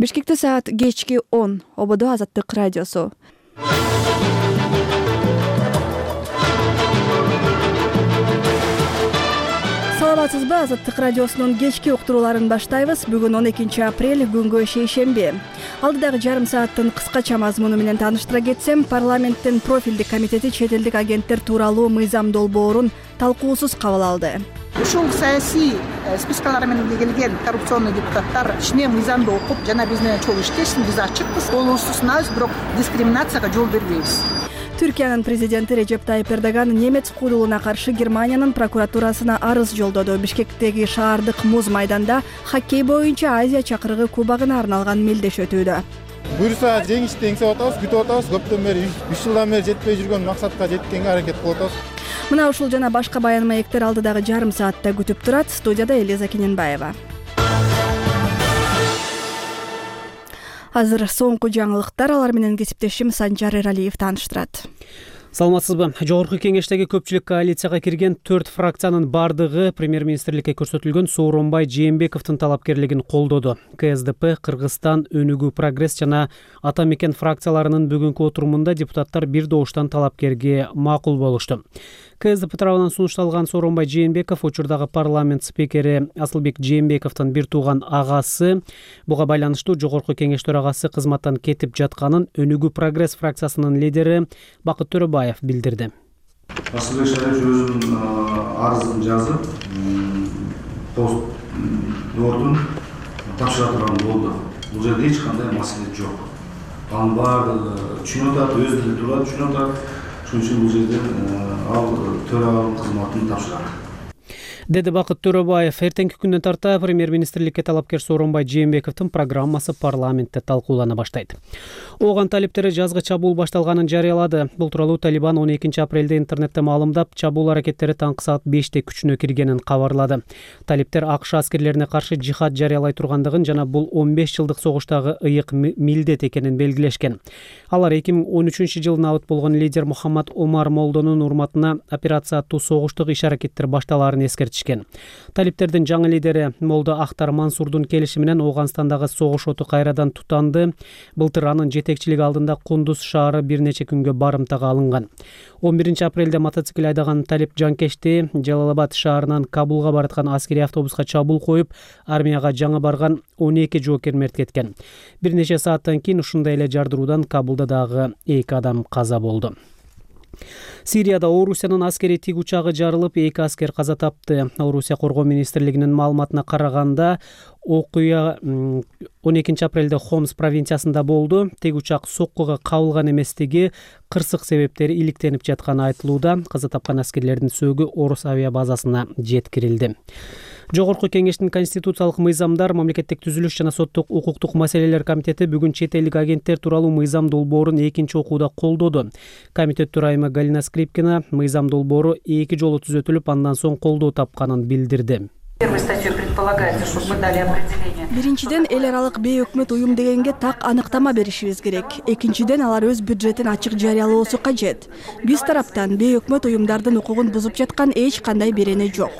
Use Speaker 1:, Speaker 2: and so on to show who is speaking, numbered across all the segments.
Speaker 1: Бишкекте саат кечки 10. Ободо Азаттык радиосу. Саламатсызбы? Азаттык радиосунун кечки уктурууларын баштайбыз. Бүгүн 12 апрель, күнгө шейшемби. Алдыдагы жарым сааттын кыскача мазмуну менен тааныштыра кетсем, парламенттин профилдик комитети чет элдик агенттер тууралуу мыйзам долбоорун талкуусуз кабыл алды.
Speaker 2: Ушул саясий спискалар менен келген коррупционный депутаттар ичине мыйзамды окуп, жана биз менен чогуу иштешсин, биз ачыкпыз, колубузду сынабыз, бирок дискриминацияга жол бербейбиз.
Speaker 1: Түркиянын президенти Режеп Тайип Эрдоган немец куудулуна каршы Германиянын прокуратурасына арыз жолдоду. Бишкектеги шаардык муз майданда хоккей боюнча Азия чакырыгы кубогуна арналган мелдеш өтүүдө.
Speaker 3: Буюрса жеңишти эңсеп атабыз, күтүп атабыз. Көптөн бери 3 жылдан бери жетпей жүргөн максатка жеткенге аракет кылып атабыз.
Speaker 1: Мына ушул жана башка баян маектер алдыдагы жарым саатта күтүп турат. Студияда Элиза Кененбаева. Азыр соңку жаңылыктар, алар менен кесиптешим Санжар Эралиев тааныштырат.
Speaker 4: Саламатсызбы? Жогорку кеңештеги көпчүлүк коалицияга кирген 4 фракциянын бардыгы премьер-министрликке көрсөтүлгөн Сооронбай Жээнбековдун талапкерлигин колдоду. КСДП, Кыргызстан, Өнүгүү Прогресс жана Ата Мекен фракцияларынын бүгүнкү отурумунда депутаттар бир добуштан талапкерге макул болушту. КСДП тарабынан сунушталган Сооронбай Жээнбеков учурдагы парламент спикери Асылбек Жээнбековдун бир тууган агасы. Буга байланыштуу жогорку кеңеш төрагасы кызматтан кетип жатканын Өнүгүү Прогресс фракциясынын лидери Бакыт Төрөбаев билдирди.
Speaker 5: Асылбек Шарипович өзүнүн арызын жазып, пост ордун тапшыра турган болду. Бул жерде эч кандай маселе жок. Анын баардыгы түшүнүп атат, өзү деле турат, түшүнүп атат. Шуning үчүн бул жерден ал төраганын кызматын тапшырат.
Speaker 4: Деди Бакыт Төрөбаев. Эртеңки күндөн тарта премьер-министрликке талапкер Сооронбай Жээнбековдун программасы парламентте талкуулана баштайт. Ооган талиптери жазгы чабуул башталганын жарыялады. Бул тууралуу Талибан 12 апрелде интернетте маалымдап, чабуул аракеттери таңкы саат 5те күчүнө киргенин кабарлады. Талиптер АКШ аскерлерине каршы жихад жарыялай тургандыгын жана бул 15 жылдык согуштагы ыйык милдет экенин белгилешкен. Алар 2013 жылы набыт болгон лидер Мухаммад Омар Молдонун урматына операция аттуу согуштук иш-аракеттер башталаарын эскертишкен. Талиптердин жаңы лидери Молдо Ахтар Мансурдун келиши менен Ооганстандагы согуш оту кайрадан тутанды. Былтыр анын жетекчилиги алдында Кундуз шаары бир нече күнгө барымтага алынган. 11 апрелде мотоцикл айдаган талип жанкечти Жалалабад шаарынан Кабулга бараткан аскери автобуска чабуул коюп, армияга жаңы барган 12 жоокер мерт кеткен. Бир нече сааттан кийин ушундай эле жардыруудан Кабулда дагы 2 адам каза болду. Сирияда Орусиянын аскери тик учагы жарылып, 2 аскер каза тапты. Орусия коргоо министрлигинин маалыматына караганда, окуя 12 апрелде Хомс провинциясында болду. Тик учак соккуга кабылган эместиги кырсык себептери иликтенип жатканы айтылууда. Каза тапкан аскерлердин сөөгү Орус авиабазасына жеткирилди. Жогорку кеңештин конституциялык мыйзамдар, мамлекеттик түзүлүш жана соттук укуктук маселелер комитети бүгүн чет элдик агенттер тууралуу мыйзам долбоорун экинчи окууда колдоду. Комитет төрайымы Галина Скрипкина мыйзам долбоору 2 жолу түзөтүлүп, андан соң колдоо тапканын билдирди.
Speaker 1: Биринчиден, эл аралык бейөкмөт уюм дегенге так аныктама беришибиз керек. Экинчиден, алар өз бюджетин ачык жарыялоосу кажет. Биз тараптан бейөкмөт уюмдардын укугун бузуп жаткан эч кандай берене жок.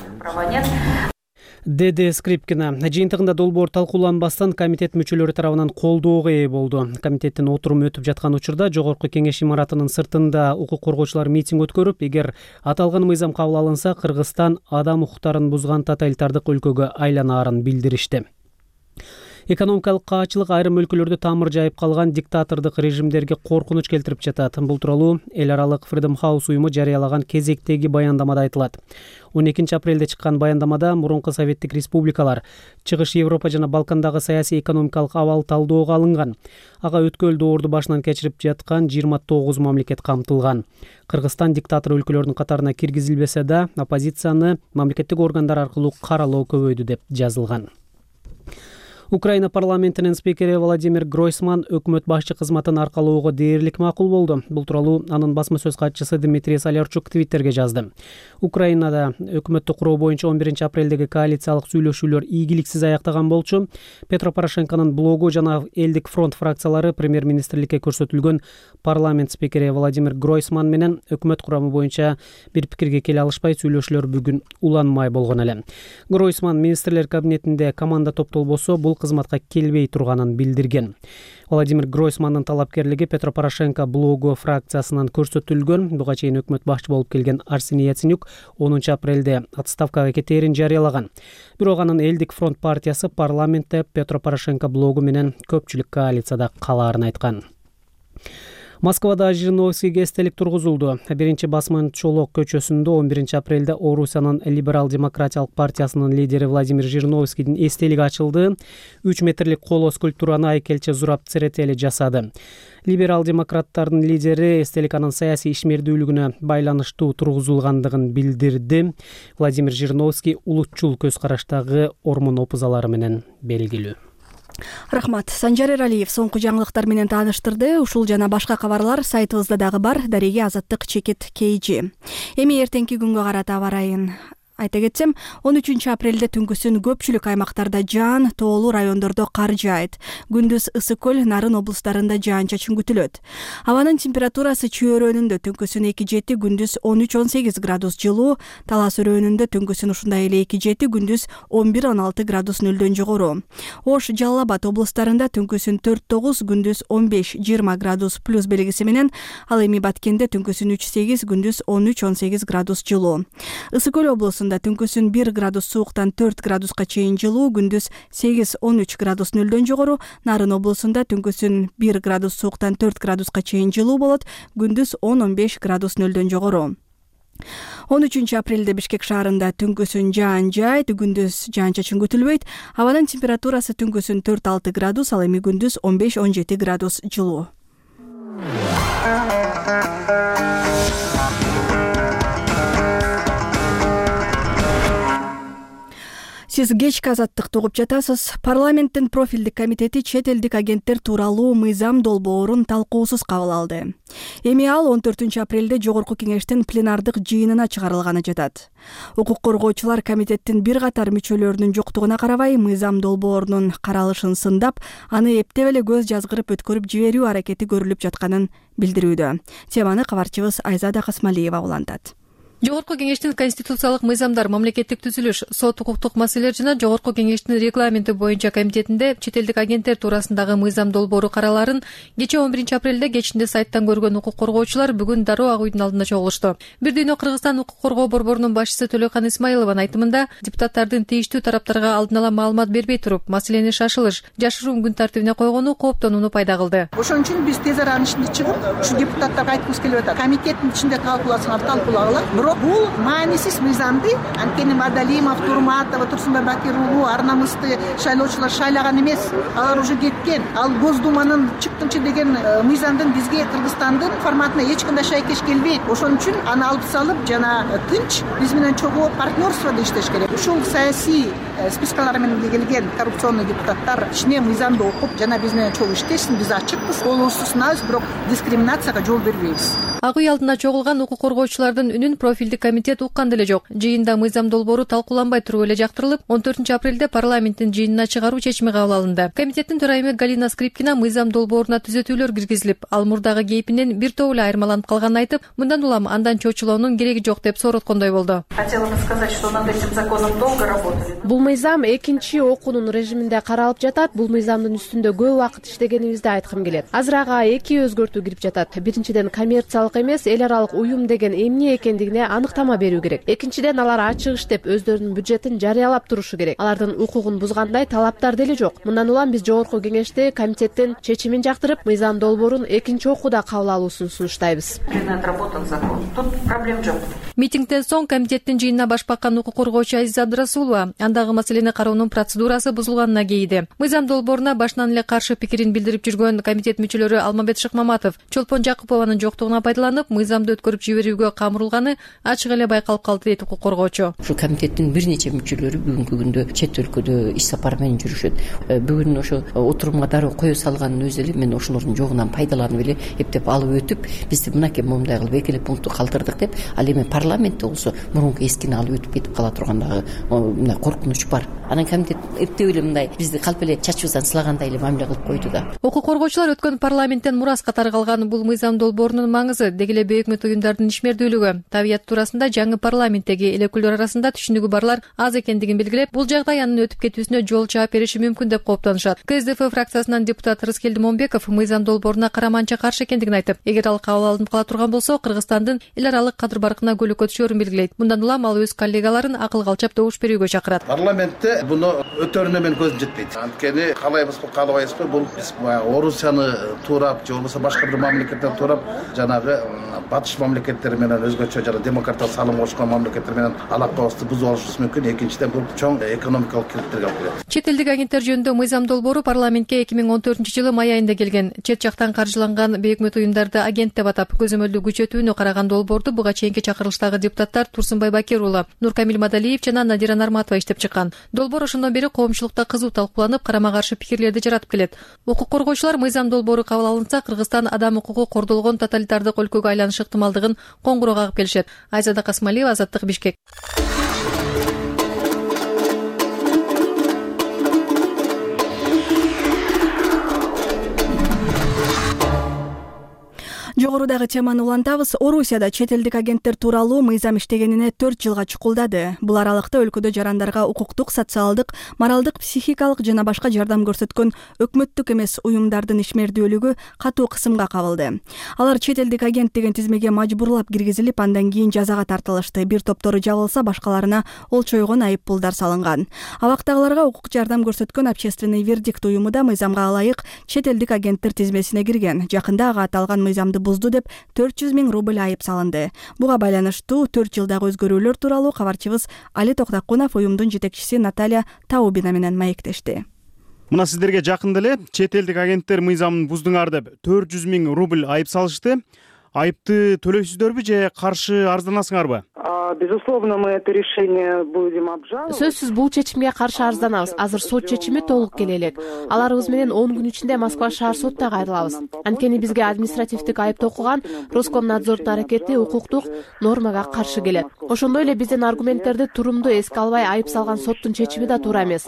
Speaker 4: Деди Скрипкина. Жыйынтыгында долбоор талкууланбастан комитет мүчөлөрү тарабынан колдоого ээ болду. Комитеттин отуруму өтүп жаткан учурда жогорку кеңеш имаратынын сыртында укук коргоочулар митинг өткөрүп, эгер аталган мыйзам кабыл алынса, Кыргызстан адам укуктарын бузган тоталитардык өлкөгө айланаарын билдиришти. Экономикалык каачылык айрым өлкөлөрдө тамыр жайып калган диктатордук режимдерге коркунуч келтирип жатат. Бул тууралуу эл аралык Freedom House уюму жарыялаган кезектеги баяндамада айтылат. 12 апрелде чыккан баяндамада мурунку советтик республикалар, Чыгыш Европа жана Балкандагы саясий экономикалык абал талдоого алынган. Ага өткөл доорду башынан кечирип жаткан 29 мамлекет камтылган. Кыргызстан диктатор өлкөлөрдүн катарына киргизилбесе да, оппозицияны мамлекеттик органдар аркылуу каралоо көбөйдү деп жазылган. Украина парламентинин спикери Владимир Гройсман өкмөт башчы кызматын аркалоого дээрлик макул болду. Бул тууралуу анын басма сөз катчысы Дмитрий Солярчук Твиттерге жазды. Украинада өкмөттү куруу боюнча 11 апрелдеги коалициялык сүйлөшүүлөр ийгиликсиз аяктаган болчу. Петро Порошенконун блогу жана Элдик фронт фракциялары премьер-министрликке көрсөтүлгөн парламент спикери Владимир Гройсман менен өкмөт курамы боюнча бир пикирге келе алышпай, сүйлөшүүлөр бүгүн уланмай болгон эле. Гройсман министрлер кабинетинде команда топтолбосо, бул кызматка келбей турганын билдирген. Владимир Гройсмандын талапкерлиги Петро Порошенко блогу фракциясынан көрсөтүлгөн. Буга чейин өкмөт башчы болуп келген Арсений Яценюк 10 апрелде отставкага кетээрин жарыялаган. Бирок анын Элдик фронт партиясы парламентте Петро Порошенко блогу менен көпчүлүк коалицияда калаарын айткан. Москвада Жириновскийге эстелик тургузулду. Биринчи басман Чолок көчөсүндө 11 апрелде Орусиянын либерал-демократиялык партиясынын лидери Владимир Жириновскийдин эстелиги ачылды. 3 метрлик коло скульптураны айкелчи Зураб Церетели жасады. Либерал-демократтардын лидери эстелик анын саясий ишмердүүлүгүнө байланыштуу тургузулгандыгын билдирди. Владимир Жириновский улутчул көз караштагы ормон опузалары менен белгилүү.
Speaker 1: Рахмат. Санжар Эралиев соңку жаңылыктар менен тааныштырды. Ушул жана башка кабарлар сайтыбызда дагы бар. Дареге Азаттык чекит KG. Эми эртеңки күнгө карата аба ырайын айта кетсем, 13 апрелде түнкүсүн көпчүлүк аймактарда жаан, тоолуу райондордо кар жаайт. Күндүз Ысык көл, Нарын облустарында жаан-чачын күтүлөт. Абанын температурасы Чүй өрөөнүндө түнкүсүн 2-7, күндүз 13-18 градус жылуу, Талас өрөөнүндө түнкүсүн ушундай эле 2-7, күндүз 11-16 градус нөлдөн жогору. Ош, Жалал Абад облустарында түнкүсүн 4-9, күндүз 15-20 градус плюс белгиси менен, ал эми Баткенде түнкүсүн 3-8, күндүз 13-18 градус жылуу. Ысык көл облусунда түнкүсүн 1 градус сууктан 4 градуска чейин жылуу, күндүз 8-13 градус нөлдөн жогору. Нарын облусунда түнкүсүн 1 градус сууктан 4 градуска чейин жылуу болот, күндүз 10-15 градус нөлдөн жогору. 13 апрелде Бишкек шаарында түнкүсүн жаан жаайт, күндүз жаан-чачын күтүлбөйт. Абанын температурасы түнкүсүн 4-6 градус, ал эми күндүз 15-17 градус жылуу. Сиз кечки Азаттыкты угуп жатасыз. Парламенттин профилдик комитети чет элдик агенттер тууралуу мыйзам долбоорун талкуусуз кабыл алды. Эми ал 14 апрелде Жогорку кеңештин пленардык жыйынына чыгарылганы жатат. Укук коргоочулар комитеттин бир катар мүчөлөрүнүн жоктугуна карабай, мыйзам долбоорунун каралышын сындап, аны эптеп эле көз жазгырып өткөрүп жиберүү аракети көрүлүп жатканын билдирүүдө. Теманы кабарчыбыз Айзада Касмалиева улантат.
Speaker 6: Жогорку кеңештин конституциялык мыйзамдар, мамлекеттик түзүлүш, сот укуктук маселелер жана Жогорку кеңештин регламенти боюнча комитетинде чет элдик агенттер туурасындагы мыйзам долбоору караларын кечээ 11 апрелде кечинде сайттан көргөн укук коргоочулар бүгүн дароо ак үйдүн алдында чогулушту. Бир дүйнө Кыргызстан укук коргоо борборунун башчысы Төлөкан Исмаилованын айтымында, депутаттардын тийиштүү тараптарга алдын ала маалымат бербей туруп, маселени шашылыш, жашыруун күн тартибине койгону кооптонууну пайда кылды.
Speaker 2: Ошон үчүн биз тез аранын ичинде чыгып, ушу депутаттарга айткыбыз келип атат. Комитеттин ичинде талкууласаңар талкуулагыла. Бул маанисиз мыйзамды анткени Мадалимов, Турматова, Турсунбай Бакир уулу ар намысты шайлоочулар шайлаган эмес. Алар уже кеткен. Ал Госдуманын чыктымчы деген мыйзамдын бизге Кыргызстандын форматына эч кандай шайкеш келбейт. Ошон үчүн аны алып салып, жана тынч биз менен чогуу партнерстводо иштеш керек. Ушул саясий спискалар менен келген коррупционный депутаттар ичине мыйзамды окуп, жана биз менен чогуу иштешсин. Биз ачыкпыз, колубузду сынабыз, бирок дискриминацияга жол бербейбиз.
Speaker 6: Ак үй алдына чогулган укук коргоочулардын үнүн профилдик комитет уккан деле жок. Жыйында мыйзам долбоору талкууланбай туруп эле жактырылып, 14 апрелде парламенттин жыйынына чыгаруу чечими кабыл алынды. Комитеттин төрайымы Галина Скрипкина мыйзам долбооруна түзөтүүлөр киргизилип, ал мурдагы кейпинен бир топ эле айырмаланып калганын айтып, мындан улам андан чочулоонун кереги жок деп сороткондой болду.
Speaker 7: Хотела бы сказать, что над этим законом долго работали.
Speaker 8: Бул мыйзам экинчи окуунун режиминде каралып жатат. Бул мыйзамдын үстүндө көп убакыт иштегенибизди айткым келет. Азыр ага эки өзгөртүү кирип жатат. Биринчиден, коммерциялык эмес, эл аралык уюм деген эмне экендигине аныктама берүү керек. Экинчиден, алар ачык иштеп өздөрүнүн бюджетин жарыялап турушу керек. Алардын укугун бузгандай талаптар деле жок. Мындан улам биз Жогорку кеңеште комитеттин чечимин жактырып, мыйзам долбоорун экинчи окууда кабыл алуусун сунуштайбыз.
Speaker 7: Отработан закон. Тут проблем жок.
Speaker 6: Митингден соң комитеттин жыйынына баш баккан укук коргоочу Азиза Абдрасулова андагы маселени кароонун процедурасы бузулганына кейиди. Мыйзам долбооруна башынан эле каршы пикирин билдирип жүргөн комитет мүчөлөрү Алмамбет Шыкмаматов Чолпон Жакупованын жоктугуна пайдаланып, мыйзамды өткөрүп жиберүүгө камырылганы ачык эле байкалып калды дейт укук коргоочу.
Speaker 9: Ушул комитеттин бир нече мүчөлөрү бүгүнкү күндө чет өлкөдө иш сапар менен жүрүшөт. Бүгүн ошо отурумга дароо кое салганын өзү эле мен ошолордун жогунан пайдаланып эле эптеп алып өтүп, бизди мынакей момундай кылып эки эле пунктту калтырдык деп, ал эми парламентте болсо мурунку эскини алып өтүп кетип кала тургандагы мындай коркунуч бар. Анан комитет эптеп эле мындай бизди калп эле чачыбыздан сылагандай эле мамиле кылып койду да.
Speaker 6: Укук коргоочулар өткөн парламенттен мурас катары калган бул мыйзам долбоорунун маңызы деги эле бейөкмөт уюмдардын ишмердүүлүгү, табияты туурасында жаңы парламенттеги эл өкүлдөр арасында түшүнүгү барлар аз экендигин белгилеп, бул жагдай анын өтүп кетүүсүнө жол чаап бериши мүмкүн деп кооптонушат. КСДФ фракциясынан депутат Рыскелди Момбеков мыйзам долборуна караманча каршы экендигин айтып, эгер ал кабыл алынып кала турган болсо, Кыргызстандын эл аралык кадыр баркына көлөкө түшөрүн белгилейт. Мындан улам ал өз коллегаларын акылга алчап добуш берүүгө чакырат.
Speaker 10: Парламентте буну өтөрүнө мен көзүм жетпейт. Анткени каалайбызбы, каалабайбызбы, бул биз Орусияны туурап же болбосо башка бир мамлекеттерди туурап жанагы батыш мамлекеттери менен өзгөчө жана демократиялык салым кошкон мамлекеттер менен алакабызды бузуп алышыбыз мүмкүн. Экинчиден, бул чоң экономикалык кирдиктерге алып келет.
Speaker 6: Чет элдик агенттер жөнүндө мыйзам долбоору парламентке 2014-жылы май айында келген. Чет жактан каржыланган бейөкмөт уюмдарды агент деп атап, көзөмөлдүү күчөтүүнү караган долбоорду буга чейинки чакырылыштагы депутаттар Турсунбай Бакир уулу, Нуркамил Мадалиев жана Надира Нарматова иштеп чыккан. Долбоор ошондон бери коомчулукта кызуу талкууланып, карама каршы пикирлерди жаратып келет. Укук коргоочулар мыйзам долбоору кабыл алынса, Кыргызстан адам укугу кордолгон тоталитардык өлкөгө айланыш ыктымалдыгын коңгуроо кагып келишет. Айзада Касмалиева, Азаттык, Бишкек.
Speaker 1: Жогорудагы теманы улантабыз. Орусияда чет элдик агенттер тууралуу мыйзам иштегенине 4 жылга чукулдады. Бул аралыкта өлкөдө жарандарга укуктук, социалдык, моралдык, психикалык жана башка жардам көрсөткөн өкмөттүк эмес уюмдардын ишмердүүлүгү катуу кысымга кабылды. Алар чет элдик агент деген тизмеге мажбурлап киргизилип, андан кийин жазага тартылышты. Бир топтору жабылса, башкаларына олчойгон айып пулдар салынган. Абактагыларга укук жардам көрсөткөн общественный вердикт уюму да мыйзамга ылайык чет элдик агенттер тизмесине кирген. Жакында ага аталган мыйзамды бузду деп 400 000 рубль айып салынды. Буга байланыштуу 4 жылдагы өзгөрүүлөр тууралуу кабарчыбыз Али Токтакунов уюмдун жетекчиси Наталья Таубина менен маектешти.
Speaker 11: Мына сиздерге жакында эле чет элдик агенттер мыйзамын буздуңар деп 400 000 рубль айып салышты. Айыпты төлөйсүздөрбү же каршы арызданасыңарбы?
Speaker 12: Безусловно, мы это решение будем обжаловать.
Speaker 8: Сөзсүз бул чечимге каршы арызданабыз. Азыр сот чечими толук келе элек. Аларыбыз менен 10 күн ичинде Москва шаар сотуна кайрылабыз. Анткени бизге административдик айып окуган Роскомнадзордун аракети укуктук нормага каршы келет. Ошондой эле биздин аргументтерди турумдуу эске албай айып салган соттун чечими да туура эмес.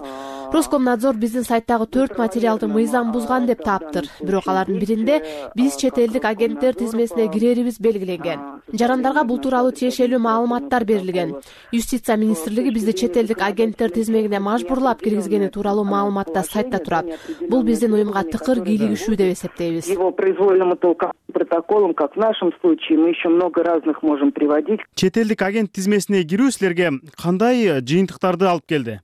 Speaker 8: Роскомнадзор биздин сайттагы 4 материалды мыйзам бузган деп таптыр. Бирок алардын биринде биз чет элдик агенттер тизмесине кирерибиз белгиленген. Жарандарга бул тууралуу тиешелүү маалыматтар берилген. Юстиция министрлиги бизди чет элдик агенттер тизмегине мажбурлап киргизгени тууралуу маалыматта сайтта турат. Бул биздин уюмга тыкыр кийлигишүү деп эсептейбиз.
Speaker 12: Его произвольному протоколам, как в нашем случае, мы еще много разных можем приводить.
Speaker 11: Чет элдик агент тизмесине кирүү силерге кандай жыйынтыктарды алып келди?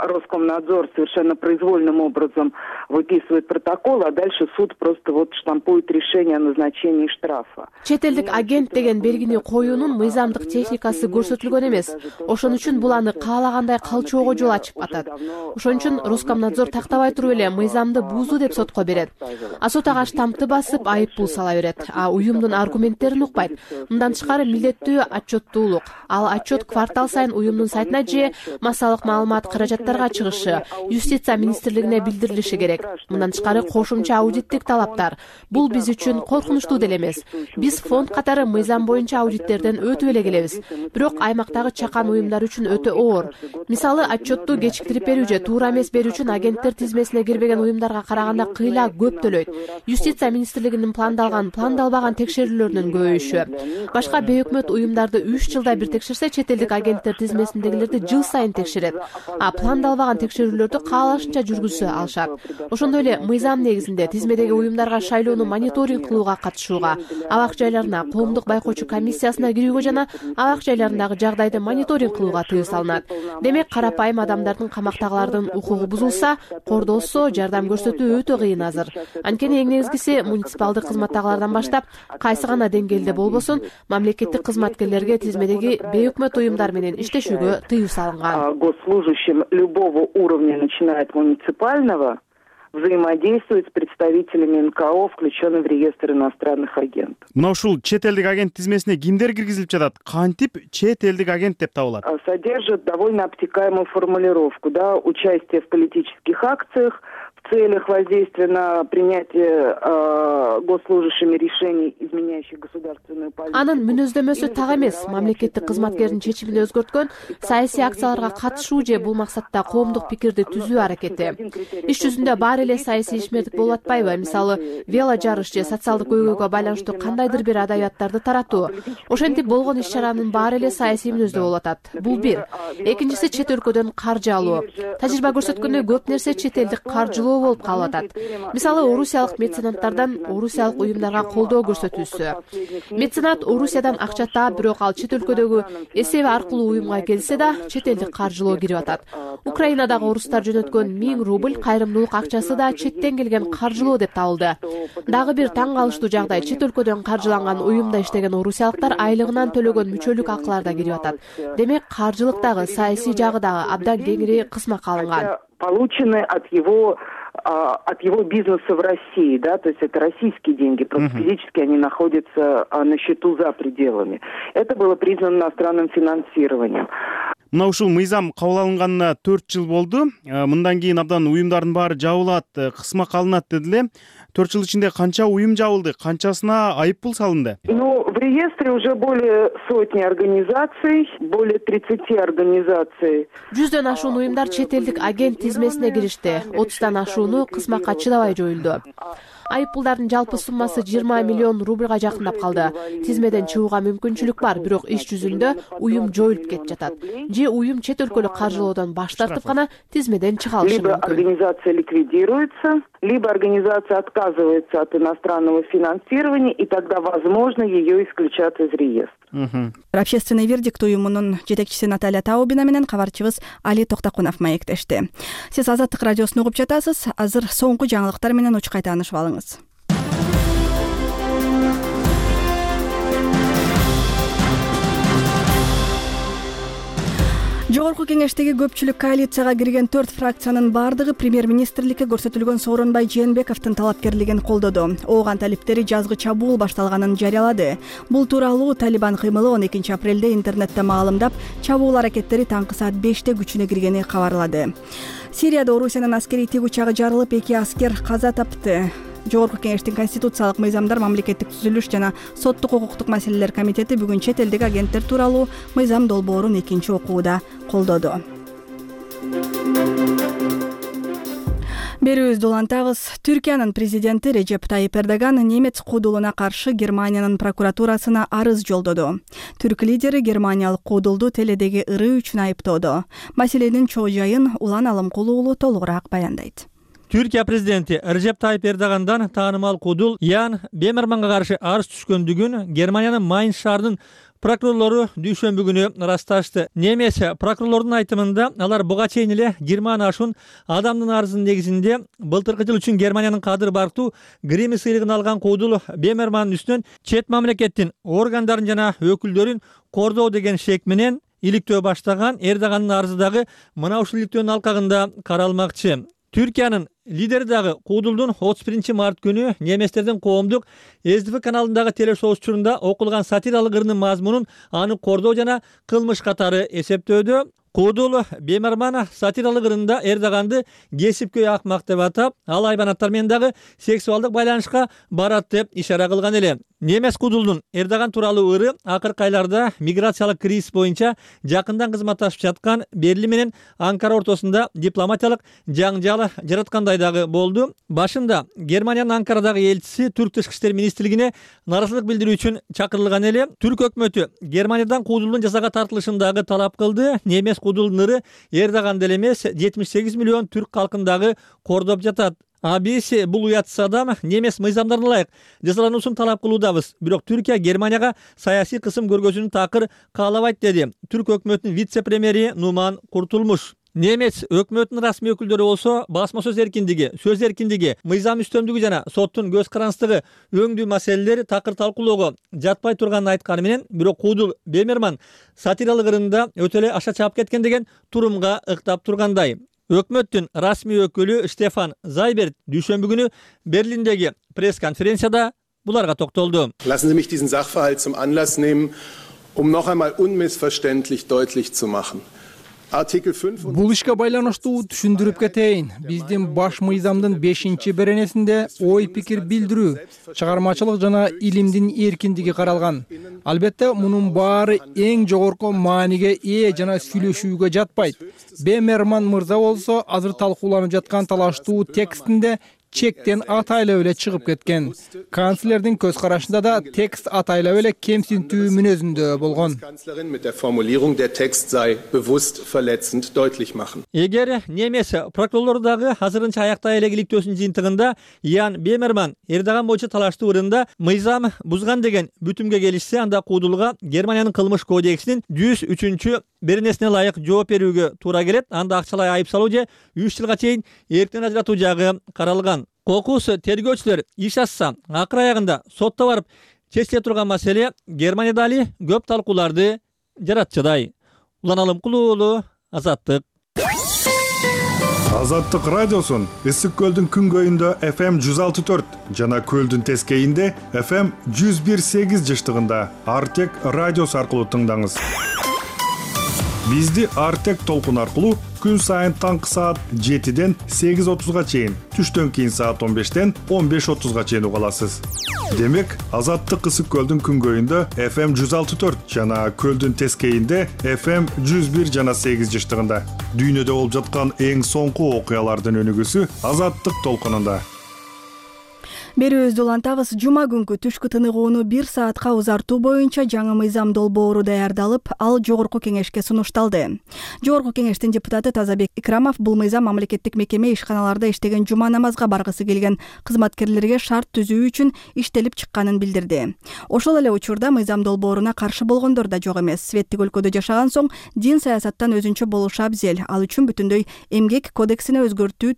Speaker 12: Роскомнадзор совершенно произвольным образом выписывает протокол, а дальше суд просто вот штампует решение о назначении штрафа.
Speaker 8: Чет элдик агент деген белгини коюунун мыйзамдык техникасы көрсөтүлгөн эмес. Ошон үчүн бул аны каалагандай калчоого жол ачып атат. Ошон үчүн Роскомнадзор тактабай туруп эле мыйзамды бузду деп сотко берет. А сот ага штампты басып айып пул сала берет. А уюмдун аргументтерин укпайт. Мындан тышкары милдеттүү отчеттуулук. Ал отчет квартал сайын уюмдун сайтына же массалык маалымат каражаттарга чыгышы, юстиция министрлигине билдирилиши керек. Мындан тышкары кошумча аудиттик талаптар. Бул биз үчүн коркунучтуу деле эмес. Биз фонд катары мыйзам боюнча аудиттерден өтүп эле келебиз. Бирок аймактагы чакан уюмдар үчүн өтө оор. Мисалы, отчетту кечиктирип берүү же туура эмес берүү үчүн агенттер тизмесине кирбеген уюмдарга караганда кыйла көп төлөйт. Юстиция министрлигинин пландалбаган текшерүүлөрүнүн көбөйүшү. Башка бейөкмөт уюмдарды 3 жылда бир текшерсе, чет элдик агенттер тизмесиндегилерди жыл сайын текшерет. А пландалбаган текшерүүлөрдү каалашынча жүргүзө алышат. Ошондой эле мыйзам негизинде тизмедеги уюмдарга шайлоону мониторинг кылууга катышууга, абак жайларына коомдук байкоочу комиссиясына кирүүгө жана абак жайларындагы жагдайды мониторинг кылууга тыюу салынат. Демек, карапайым адамдардын, камактагылардын укугу бузулса, кордолсо, жардам көрсөтүү өтө кыйын азыр. Анткени эң негизгиси муниципалдык кызматтагылардан баштап, кайсы гана деңгээлде болбосун, мамлекеттик кызматкерлерге тизмедеги бейөкмөт уюмдар менен иштешүүгө тыюу салынган.
Speaker 12: Госслужащим любого уровня, начиная от муниципального, взаимодействует с представителями НКО, включенными в реестр иностранных агентов.
Speaker 11: Мына ушул чет элдик агент тизмесине кимдер киргизилип жатат? Кантип чет элдик агент деп табылат?
Speaker 12: Содержит довольно обтекаемую формулировку, да, участие в политических акциях, в целях воздействия на принятие госслужащими решений, изменяющих государственную политику.
Speaker 8: Анын мүнөздөмөсү так эмес. Мамлекеттик кызматкердин чечимин өзгөрткөн саясий акцияларга катышуу же бул максатта коомдук пикирди түзүү аракети. Иш жүзүндө баары эле саясий ишмердик болуп атпайбы? Мисалы, вело жарыш же социалдык көйгөйгө байланыштуу кандайдыр бир адабияттарды таратуу. Ошентип болгон иш-чаранын баары эле саясий мүнөздүү болуп атат. Бул бир. Экинчиси чет өлкөдөн каржы алуу. Тажрыйба көрсөткөндөй көп нерсе чет элдик каржылоо болуп калып атат. Мисалы, орусиялык меценаттардан орусиялык уюмдарга колдоо көрсөтүүсү. Меценат Орусиядан акча таап, бирок ал чет өлкөдөгү эсеби аркылуу уюмга келсе да, чет элдик каржылоо кирип атат. Украинадагы орустар жөнөткөн 1000 рубль кайрымдуулук акчасы да четтен келген каржылоо деп табылды. Дагы бир таң калыштуу жагдай, чет өлкөдөн каржыланган уюмда иштеген орусиялыктар айлыгынан төлөгөн мүчөлүк акылар да кирип атат. Демек, каржылык дагы, саясий жагы дагы абдан кеңири кысмакка алынган.
Speaker 12: Получены от его бизнеса в России, да, то есть это российские деньги, просто физически они находятся на счету за пределами. Это было признано иностранным финансированием.
Speaker 11: Мына ушул мыйзам кабыл алынганына 4 жыл болду. Мындан кийин абдан уюмдардын баары жабылат, кысмак алынат дедиле. 4 жыл ичинде канча уюм жабылды, канчасына айып пул салынды?
Speaker 12: Ну, в реестре уже более сотни организаций, более 30 организаций.
Speaker 8: 100дөн ашуун уюмдар чет элдик агент тизмесине киришти. 30дан ашууну кысмакка чыдабай жоюлду. Айып пулдардын жалпы суммасы 20 миллион рубльга жакындап калды. Тизмеден чыгууга мүмкүнчүлүк бар, бирок иш жүзүндө уюм жоюлуп кетип жатат. Же уюм чет өлкөлүк каржылоодон баш тартып гана тизмеден чыга алышы мүмкүн.
Speaker 12: Либо организация ликвидируется, либо организация отказывается от иностранного финансирования, и тогда, возможно, ее исключат из реестра.
Speaker 1: Общественный вердикт уюмунун жетекчиси Наталья Таубина менен кабарчыбыз Али Токтокунов маектешти. Сиз Азаттык радиосун угуп жатасыз. Азыр соңку жаңылыктар менен учкай таанышып алыңыз. Жогорку кеңештеги көпчүлүк коалицияга кирген 4 фракциянын бардыгы премьер-министрликке көрсөтүлгөн Сооронбай Жээнбековдун талапкерлигин колдоду. Ооган талиптери жазгы чабуул башталганын жарыялады. Бул тууралуу Талибан кыймылы 12 апрелде интернетте маалымдап, чабуул аракеттери таңкы саат 5те күчүнө киргени кабарлады. Сирияда Орусиянын аскерий тигучагы жарылып, 2 аскер каза тапты. Жогорку кеңештин конституциялык мыйзамдар, мамлекеттик түзүлүш жана соттук укуктук маселелер комитети бүгүн чет элдик агенттер тууралуу мыйзам долбоорун 2 окууда колдоду. Берүүбүздү улантабыз. Түркиянын президенти Режеп Тайип Эрдоган немец куудулуна каршы Германиянын прокуратурасына арыз жолдоду. Түрк лидери германиялык куудулду теледеги ырыы үчүн айыптоодо. Маселенин чоо жайын Улан Алымкулуу уулу толугураак баяндайт.
Speaker 13: Түркия президенти Режеп Тайип Эрдогандан таанымал куудул Ян Бемерманга каршы арыз түшкөндүгүн Германиянын Майнц шаарынын прокурорлору дүйшөмбү күнү ырасташты. Немес прокурорлордун айтымында алар буга чейин эле 20 ашуун адамдын арызынын негизинде былтыркы жыл үчүн Германиянын кадыр барктуу Грэмми сыйлыгын алган куудул Бемермандын үстүнөн чет мамлекеттин органдарын жана өкүлдөрүн кордоо деген шек менен иликтөө баштаган. Эрдогандын арызы дагы мына ушул иликтөөнүн алкагында каралмакчы. Түркиянын лидери дагы куудулдун 31 март күнү неместердин коомдук СДФ каналындагы телешоу учурунда окулган сатиралык ырдын мазмунун аны кордоо жана кылмыш катары эсептөөдө. Куудул Бемерман сатиралык ырында Эрдоганды кесипкөй акмак деп атап, ал айбанаттар менен дагы сексуалдык байланышка барат деп ишара кылган эле. Немес куудулдун Эрдоган тууралуу ыры акыркы айларда миграциялык кризис боюнча жакындан кызматташып жаткан Берлин менен Анкара ортосунда дипломатиялык жаңжал жараткандай дагы болду. Башында Германиянын Анкарадагы элчиси Түрк тышкы иштер министрлигине нааразычылык билдирүү үчүн чакырылган эле. Түрк өкмөтү Германиядан куудулдун жазага тартылышын дагы талап кылды. Немес куудулдун ыры Эрдоган деле эмес 78 миллион түрк калкын дагы кордоп жатат. Биз бул уятсыз адам немес мыйзамдарына ылайык жазалануусун талап кылуудабыз. Бирок Түркия Германияга саясий кысым көргөзүүнү такыр каалабайт деди Түрк өкмөтүнүн вице-премьери Нуман Куртулмуш. Немец өкмөтүнүн расмий өкүлдөрү болсо басма сөз эркиндиги, мыйзам үстөмдүгү жана соттун көз карандысыздыгы өңдүү маселелер такыр талкуулоого жатпай турганын айтканы менен, бирок куудул Бемерман сатиралык ырында өтө эле аша чаап кеткен деген турумга ыктап тургандай. Өкмөттүн расмий өкүлү Штефан Зайберт дүйшөмбү күнү Берлиндеги пресс-конференцияда буларга токтолду.
Speaker 14: Lassen Sie mich diesen Sachverhalt zum Anlass nehmen, noch einmal unmissverständlich deutlich zu machen. Бул ишке байланыштуу түшүндүрүп кетейин. Биздин баш мыйзамдын 5-беренесинде ой пикир билдирүү, чыгармачылык жана илимдин эркиндиги каралган. Албетте, мунун баары эң жогорку мааниге ээ жана сүйлөшүүгө жатпайт. Бемерман мырза болсо азыр талкууланып жаткан талаштуу текстинде чектен атайлап эле чыгып кеткен. Канцлердин көз карашында да текст атайлап эле кемсинтүү мүнөзүндө болгон.
Speaker 13: Эгер немес прокурорлор дагы азырынча аяктай эле иликтөөсүнүн жыйынтыгында Ян Бемерман Эрдоган боюнча талаштуу ырында мыйзам бузган деген бүтүмгө келишсе, анда куудулга Германиянын кылмыш кодексинин 103-беренесине ылайык жооп берүүгө туура келет. Анда акчалай айып салуу же 3 жылга чейин эрктен ажыратуу жагы каралган. Кокус тергөөчүлөр иш ачса, акыр аягында сотто барып чечиле турган маселе Германияда али көп талкууларды жаратчыдай. Улан Алымкулуу уулу, Азаттык.
Speaker 15: Азаттык радиосун Ысык көлдүн күнгөйүндө FM 106.4 жана көлдүн тескейинде FM 101.8 жыштыгында Артек радиосу аркылуу тыңдаңыз. Бизди Артек толкун аркылуу күн сайын таңкы саат 7-ден 8:30га чейин, түштөн кийин саат 15-ден 15:30га чейин уга аласыз. Демек, Азаттык Ысык көлдүн күнгөйүндө FM 106.4 жана көлдүн тескейинде FM 101 жана 8 жыштыгында. Дүйнөдө болуп жаткан эң соңку окуялардын өнүгүүсү Азаттык толкунунда.
Speaker 1: Берүүбүздү улантабыз. Жума күнкү түшкү тыныгууну 1 саатка узартуу боюнча жаңы мыйзам долбоору даярдалып, ал жогорку кеңешке сунушталды. Жогорку кеңештин депутаты Тазабек Икрамов бул мыйзам мамлекеттик мекеме ишканаларда иштеген жума намазга баргысы келген кызматкерлерге шарт түзүү үчүн иштелип чыкканын билдирди. Ошол эле учурда мыйзам долбооруна каршы болгондор да жок эмес. Светтик өлкөдө жашаган соң дин саясаттан өзүнчө болушу абзел. Ал үчүн бүтүндөй эмгек кодексине өзгөртүү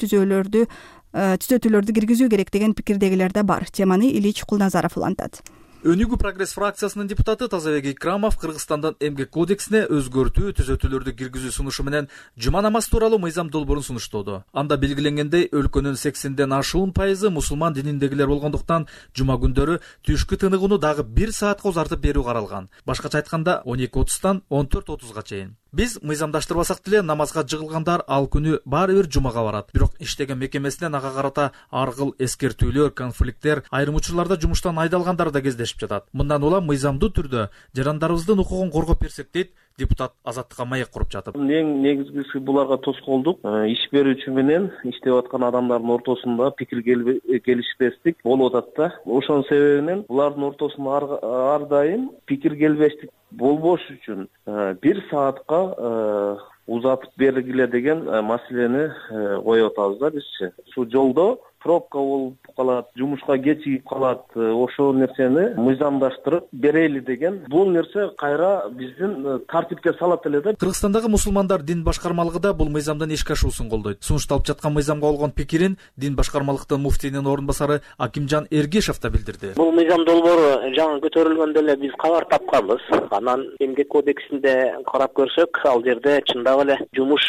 Speaker 1: түзөтүүлөрдү киргизүү керек деген пикирдегилер да бар. Теманы Илич Кулназаров улантат.
Speaker 16: Өнүгүү прогресс фракциясынын депутаты Тазабек Икрамов Кыргызстандан эмгек кодексине өзгөртүү түзөтүүлөрдү киргизүү сунушу менен жума намаз тууралуу мыйзам долбоорун сунуштоодо. Анда белгиленгендей, өлкөнүн 80ден ашуун пайызы мусулман дининдегилер болгондуктан жума күндөрү түшкү тыныгууну дагы 1 саатка узартып берүү каралган. Башкача айтканда 12:30-тан 14:30га чейин. Биз мыйзамдаштырбасак деле намазга жыгылгандар ал күнү баары бир жумага барат. Бирок иштеген мекемесинен ага карата ар кыл эскертүүлөр, конфликттер, айрым учурларда жумуштан айдалгандар да кездешип жатат. Мындан улам мыйзамдуу түрдө жарандарыбыздын укугун коргоп берсек дейт депутат Азаттыкка маек куруп жатып.
Speaker 17: Эң негизгиси буларга тоскоолдук. Иш берүүчү менен иштеп аткан адамдардын ортосунда пикир келишпестик болуп атат да. Ошонун себебинен булардын ортосунда ар дайым пикир келбештик болбош үчүн 1 саатка узатып бергиле деген маселени коюп атабыз да бизчи. Ушул жолдо пробка болуп калат, жумушка кечигип калат. Ошол нерсени мыйзамдаштырып берели деген. Бул нерсе кайра биздин тартипке салат эле да.
Speaker 16: Кыргызстандагы мусулмандар дин башкармалыгы да бул мыйзамдын ишке ашуусун колдойт. Сунушталып жаткан мыйзамга болгон пикирин дин башкармалыктын муфтийнин орун басары Акимжан Эргешев да билдирди.
Speaker 18: Бул мыйзам долбоору жаңы көтөрүлгөндө эле биз кабар тапканбыз. Анан эмгек кодексинде карап көрсөк, ал жерде чындап эле жумуш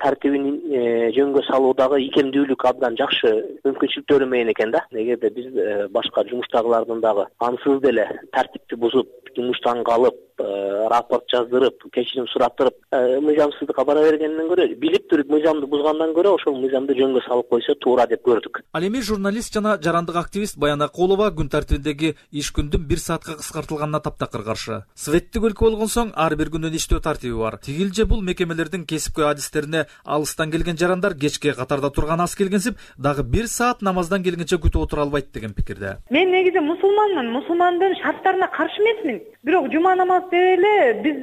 Speaker 18: тартибин жөнгө салуудагы икемдүүлүк абдан жакшы мүмкүнчүлүктөрү менен экен да. Эгерде биз башка жумуштагылардын дагы ансыз деле тартипти бузуп, жумуштан калып, рапорт жаздырып, кечирим сураттырып, мыйзамсыздыкка бара бергенден көрө, билип туруп мыйзамды бузгандан көрө ошол мыйзамды жөнгө салып койсо туура деп көрдүк.
Speaker 16: Ал эми журналист жана жарандык активист Баян Акулова күн тартибиндеги иш күндүн 1 саатка кыскартылганына таптакыр каршы. Светтик өлкө болгон соң ар бир күндүн иштөө тартиби бар. Тигилже бул мекемелердин кесипкөй адистерине алыстан келген жарандар кечке катарда турган аз келгенсип, дагы 1 саат намаздан келгенче күтүп отура албайт деген пикирде.
Speaker 19: Мен негизи мусулманмын, мусулмандын шарттарына каршы эмесмин. Бирок жума намаз деле биз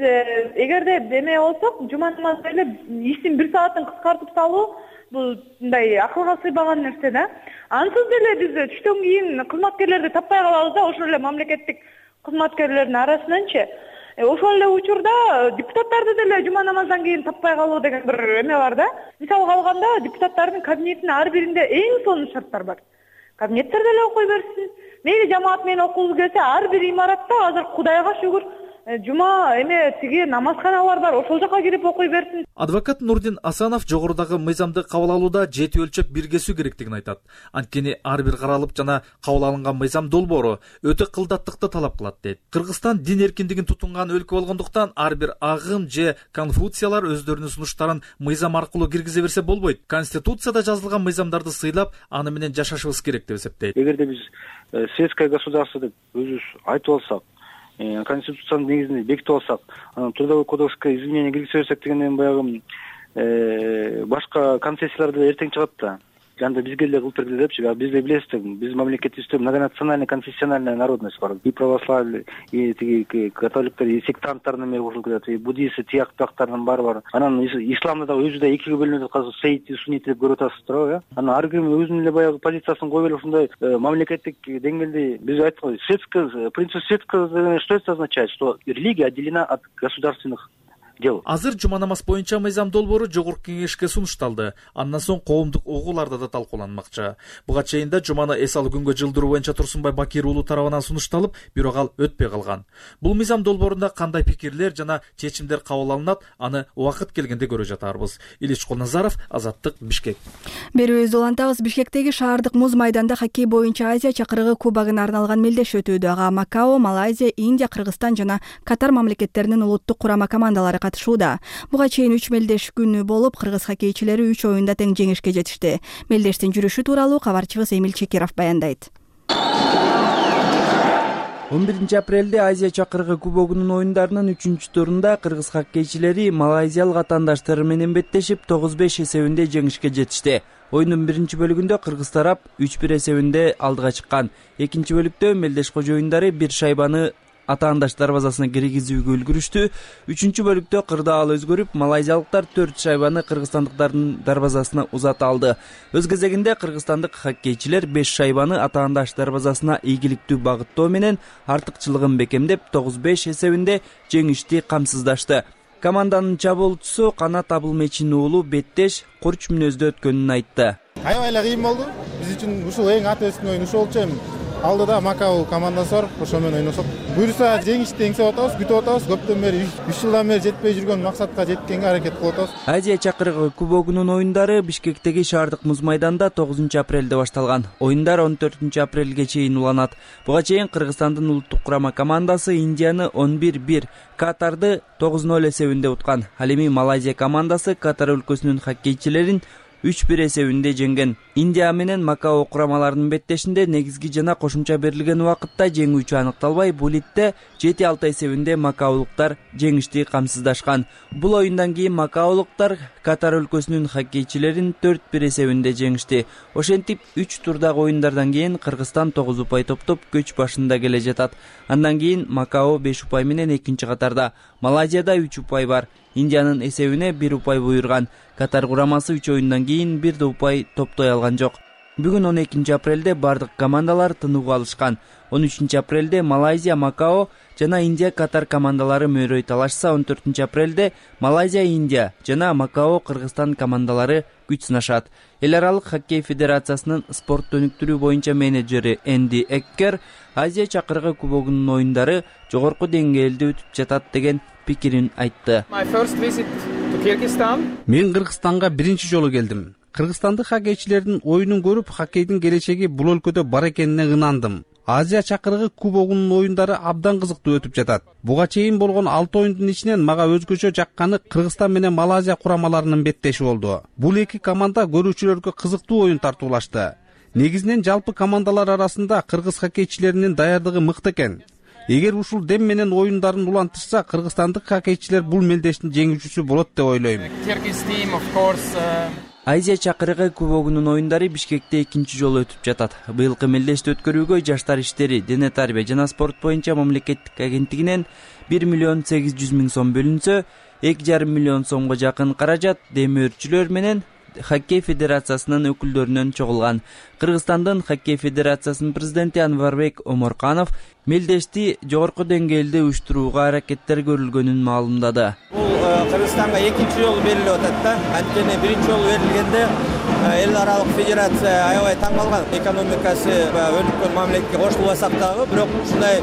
Speaker 19: эгерде деме болсок, жума намаз деле иштин 1 саатын кыскартып салуу бул мындай акылга сыйбаган нерсе да. Ансыз деле биз түштөн кийин кызматкерлерди таппай калабыз да, ошол эле мамлекеттик кызматкерлердин арасынанчы. Ошол эле учурда депутаттарды деле жума намаздан кийин таппай калуу деген бир эме бар да. Мисалга алганда депутаттардын кабинетинин ар биринде эң сонун шарттар бар. Кабинеттер деле окуй берсин. Мейли жамаат менен окугубуз келсе, ар бир имаратта азыр Кудайга шүгүр жума тиги намазканалар бар, ошол жака кирип окуй берсин.
Speaker 16: Адвокат Нурдин Асанов жогорудагы мыйзамды кабыл алууда жети өлчөп бир кесүү керектигин айтат. Анткени ар бир каралып жана кабыл алынган мыйзам долбоору өтө кылдаттыкты талап кылат дейт. Кыргызстан дин эркиндигин тутунган өлкө болгондуктан ар бир агым же конфуциялар өздөрүнүн сунуштарын мыйзам аркылуу киргизе берсе болбойт. Конституцияда жазылган мыйзамдарды сыйлап, аны менен жашашыбыз керек деп эсептейт.
Speaker 17: Эгерде биз светское государство деп өзүбүз айтып алсак, конституциянын негизинде бекитип алсак, анан трудовой кодекске изменение киргизе берсек дегенден баягы башка концессиялар деле эртең чыгат да. Анда бизге эле кылып берди депчи, биз деле билесиз, биз мамлекетибизде многонациональный конфессиональная народность бар. И православие, и тиги католиктер, и сектанттардын эме кошулуп кетет, и буддисты, тияк бактардын баары бар. Анан исламда дагы өзү да экиге бөлүнүп аткан сейити, суннити деп көрүп атасыздар го, Анан ар ким өзүнүн эле баягы позициясын коюп эле ушундай мамлекеттик деңгээлде биз айткан светское, принцип светского, что это означает, что религия отделена от государственных дел.
Speaker 16: Азыр жума намаз боюнча мыйзам долбоору жогорку кеңешке сунушталды. Андан соң коомдук угууларда да талкууланмакчы. Буга чейин да жуманы эс алуу күнгө жылдыруу боюнча Турсунбай Бакир уулу тарабынан сунушталып, бирок ал өтпөй калган. Бул мыйзам долбоорунда кандай пикирлер жана чечимдер кабыл алынат, аны убакыт келгенде көрө жатарбыз. Илич Кулназаров, Азаттык, Бишкек.
Speaker 1: Берүүбүздү улантабыз. Бишкектеги шаардык муз майданда хоккей боюнча Азия чакырыгы кубогуна арналган мелдеш өтүүдө. Ага Макао, Малайзия, Индия, Кыргызстан жана Катар мамлекеттеринин улуттук курама командалары катышууда. Буга чейин 3 мелдеш күнү болуп, кыргыз хоккейчилери 3 оюнда тең жеңишке жетишти. Мелдештин жүрүшү тууралуу кабарчыбыз Эмил Чекиров баяндайт.
Speaker 20: 11 апрелде Азия чакырыгы кубогунун оюндарынын 3-турунда кыргыз хоккейчилери малайзиялык атаандаштары менен беттешип 9-5 эсебинде жеңишке жетишти. Оюндун биринчи бөлүгүндө кыргыз тарап 3-1 эсебинде алдыга чыккан. Экинчи бөлүктө мелдеш кожоюндары бир шайбаны атаандаш дарбазасына киргизүүгө үлгүрүштү. Үчүнчү бөлүктө кырдаал өзгөрүп, малайзиялыктар 4 шайбаны кыргызстандыктардын дарбазасына узата алды. Өз кезегинде кыргызстандык хоккейчилер 5 шайбаны атаандаш дарбазасына ийгиликтүү багыттоо менен артыкчылыгын бекемдеп 9-5 эсебинде жеңишти камсыздашты. Команданын чабуулчусу Канат Абылмечин уулу беттеш, курч мүнөздө өткөнүн айтты.
Speaker 3: Аябай эле кыйын болду. Биз үчүн ушул эң аты өскөн оюн ушул болчу. Алдыда Макао командасы бар, ошо менен ойносок. Буюрса жеңишти эңсеп атабыз, күтүп атабыз. Көптөн бери 3 жылдан бери жетпей жүргөн максатка жеткенге аракет кылып атабыз.
Speaker 20: Азия чакырыгы кубогунун оюндары Бишкектеги шаардык муз майданда 9 апрелде башталган. Оюндар 14 апрелге чейин уланат. Буга чейин Кыргызстандын улуттук курама командасы Индияны 11-1, Катарды 9-0 эсебинде уткан. Ал эми Малайзия командасы Катар өлкөсүнүн хоккейчилерин 3-1 эсебинде жеңген. Индия менен Макао курамаларынын беттешинде негизги жана кошумча берилген убакытта жеңүүчү аныкталбай, булитте 7-6 эсебинде макаолуктар жеңишти камсыздашкан. Бул оюндан кийин макаолуктар Катар өлкөсүнүн хоккейчилерин 4-1 эсебинде жеңишти. Ошентип 3 турдагы оюндардан кийин Кыргызстан 9 упай топтоп көч башында келе жатат. Андан кийин Макао 5 упай менен экинчи катарда. Малайзияда 3 упай бар. Индиянын эсебине 1 упай буйрган. Катар курамасы 3 оюндан кийин 1 да упай топтой алган жок. Бүгүн 12 апрелде бардык командалар тынууга алышкан. 13 апрелде Малайзия, Макао жана Индия Катар командалары мөрөй талашса, 14 апрелде Малайзия, Индия жана Макао Кыргызстан командалары күч сынашат. Эл аралык хоккей федерациясынын спорт өнүктүрүү боюнча менеджери Энди Эккер Азия чакырыгы кубогунун оюндары жогорку деңгээлде өтүп жатат деген пикирин айтты.
Speaker 21: Мен Кыргызстанга биринчи жолу келдим. Кыргызстандык хоккейчилердин оюнун көрүп, хоккейдин келечеги бул өлкөдө бар экенине ынандым. Азия чакырыгы кубогунун оюндары абдан кызыктуу өтүп жатат. Буга чейин болгон 6 оюндун ичинен мага өзгөчө жакканы Кыргызстан менен Малайзия курамаларынын беттеши болду. Бул эки команда көрүүчүлөргө кызыктуу оюн тартуулашты. Негизинен жалпы командалар арасында кыргыз хоккейчилеринин даярдыгы мыкты экен. Эгер ушул дем менен оюндарын улантышса, кыргызстандык хоккейчилер бул мелдештин жеңүүчүсү болот деп ойлойм.
Speaker 20: Азия чакырыгы кубогунун оюндары Бишкекте экинчи жолу өтүп жатат. Быйылкы мелдешти өткөрүүгө Жаштар иштери, дене тарбия жана спорт боюнча мамлекеттик агенттигинен 1 миллион 800 миң сом бөлүнсө, 2,5 миллион сомго жакын каражат демөөрчүлөр менен хоккей федерациясынын өкүлдөрүнөн чогулган. Кыргызстандын хоккей федерациясынын президенти Анварбек Оморканов мелдешти жогорку деңгээлде уюштурууга аракеттер көрүлгөнүн маалымдады.
Speaker 22: Бул Кыргызстанга экинчи жолу берилип атат да. Анткени биринчи жолу берилгенде эл аралык федерация аябай таң калган. Экономикасы өнүккөн мамлекетке кошулбасак дагы, бирок ушундай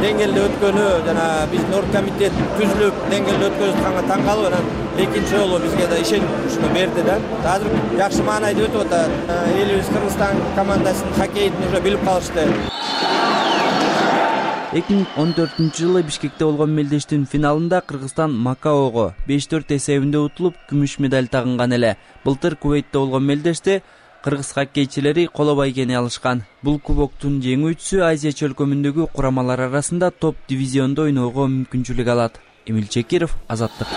Speaker 22: деңгээлде өткөнү жана биздин оргкомитет түзүлүп деңгээлде өткөзүп атканга таң калып анан экинчи жолу бизге да ишенчү берди да. Азыр жакшы маанайда өтүп атат. Элибиз Кыргызстан командасынын хоккейин уже билип калышты.
Speaker 20: 2014-жылы Бишкекте болгон мелдештин финалында Кыргызстан Макаого 5-4 эсебинде утулуп, күмүш медаль тагынган эле. Былтыр Кувейтте болгон мелдеште кыргыз хоккейчилери коло байгени алышкан. Бул кубоктун жеңүүчүсү Азия чөлкөмүндөгү курамалар арасында топ дивизиондо ойноого мүмкүнчүлүк алат. Эмил Чекиров, Азаттык.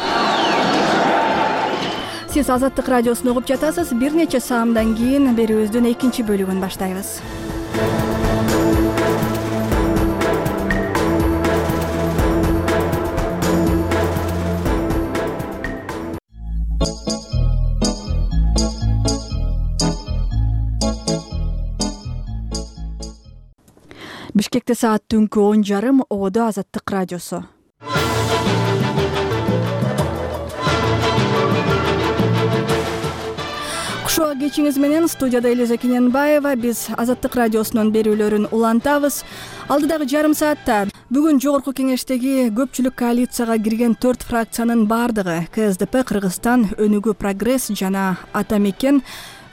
Speaker 1: Сиз Азаттык радиосун угуп жатасыз. Бир нече саамдан кийин берүүбүздүн экинчи бөлүгүн баштайбыз. Бишкекте саат түнкү 10:30, Ободо Азаттык радиосу. Кушуа кечиңиз менен студияда Элиза Кененбаева. Биз Азаттык радиосунун берүүлөрүн улантабыз. Алдыдагы жарым саатта бүгүн жогорку кеңештеги көпчүлүк коалицияга кирген 4 фракциянын бардыгы КСДП, Кыргызстан, Өнүгүү Прогресс жана Ата Мекен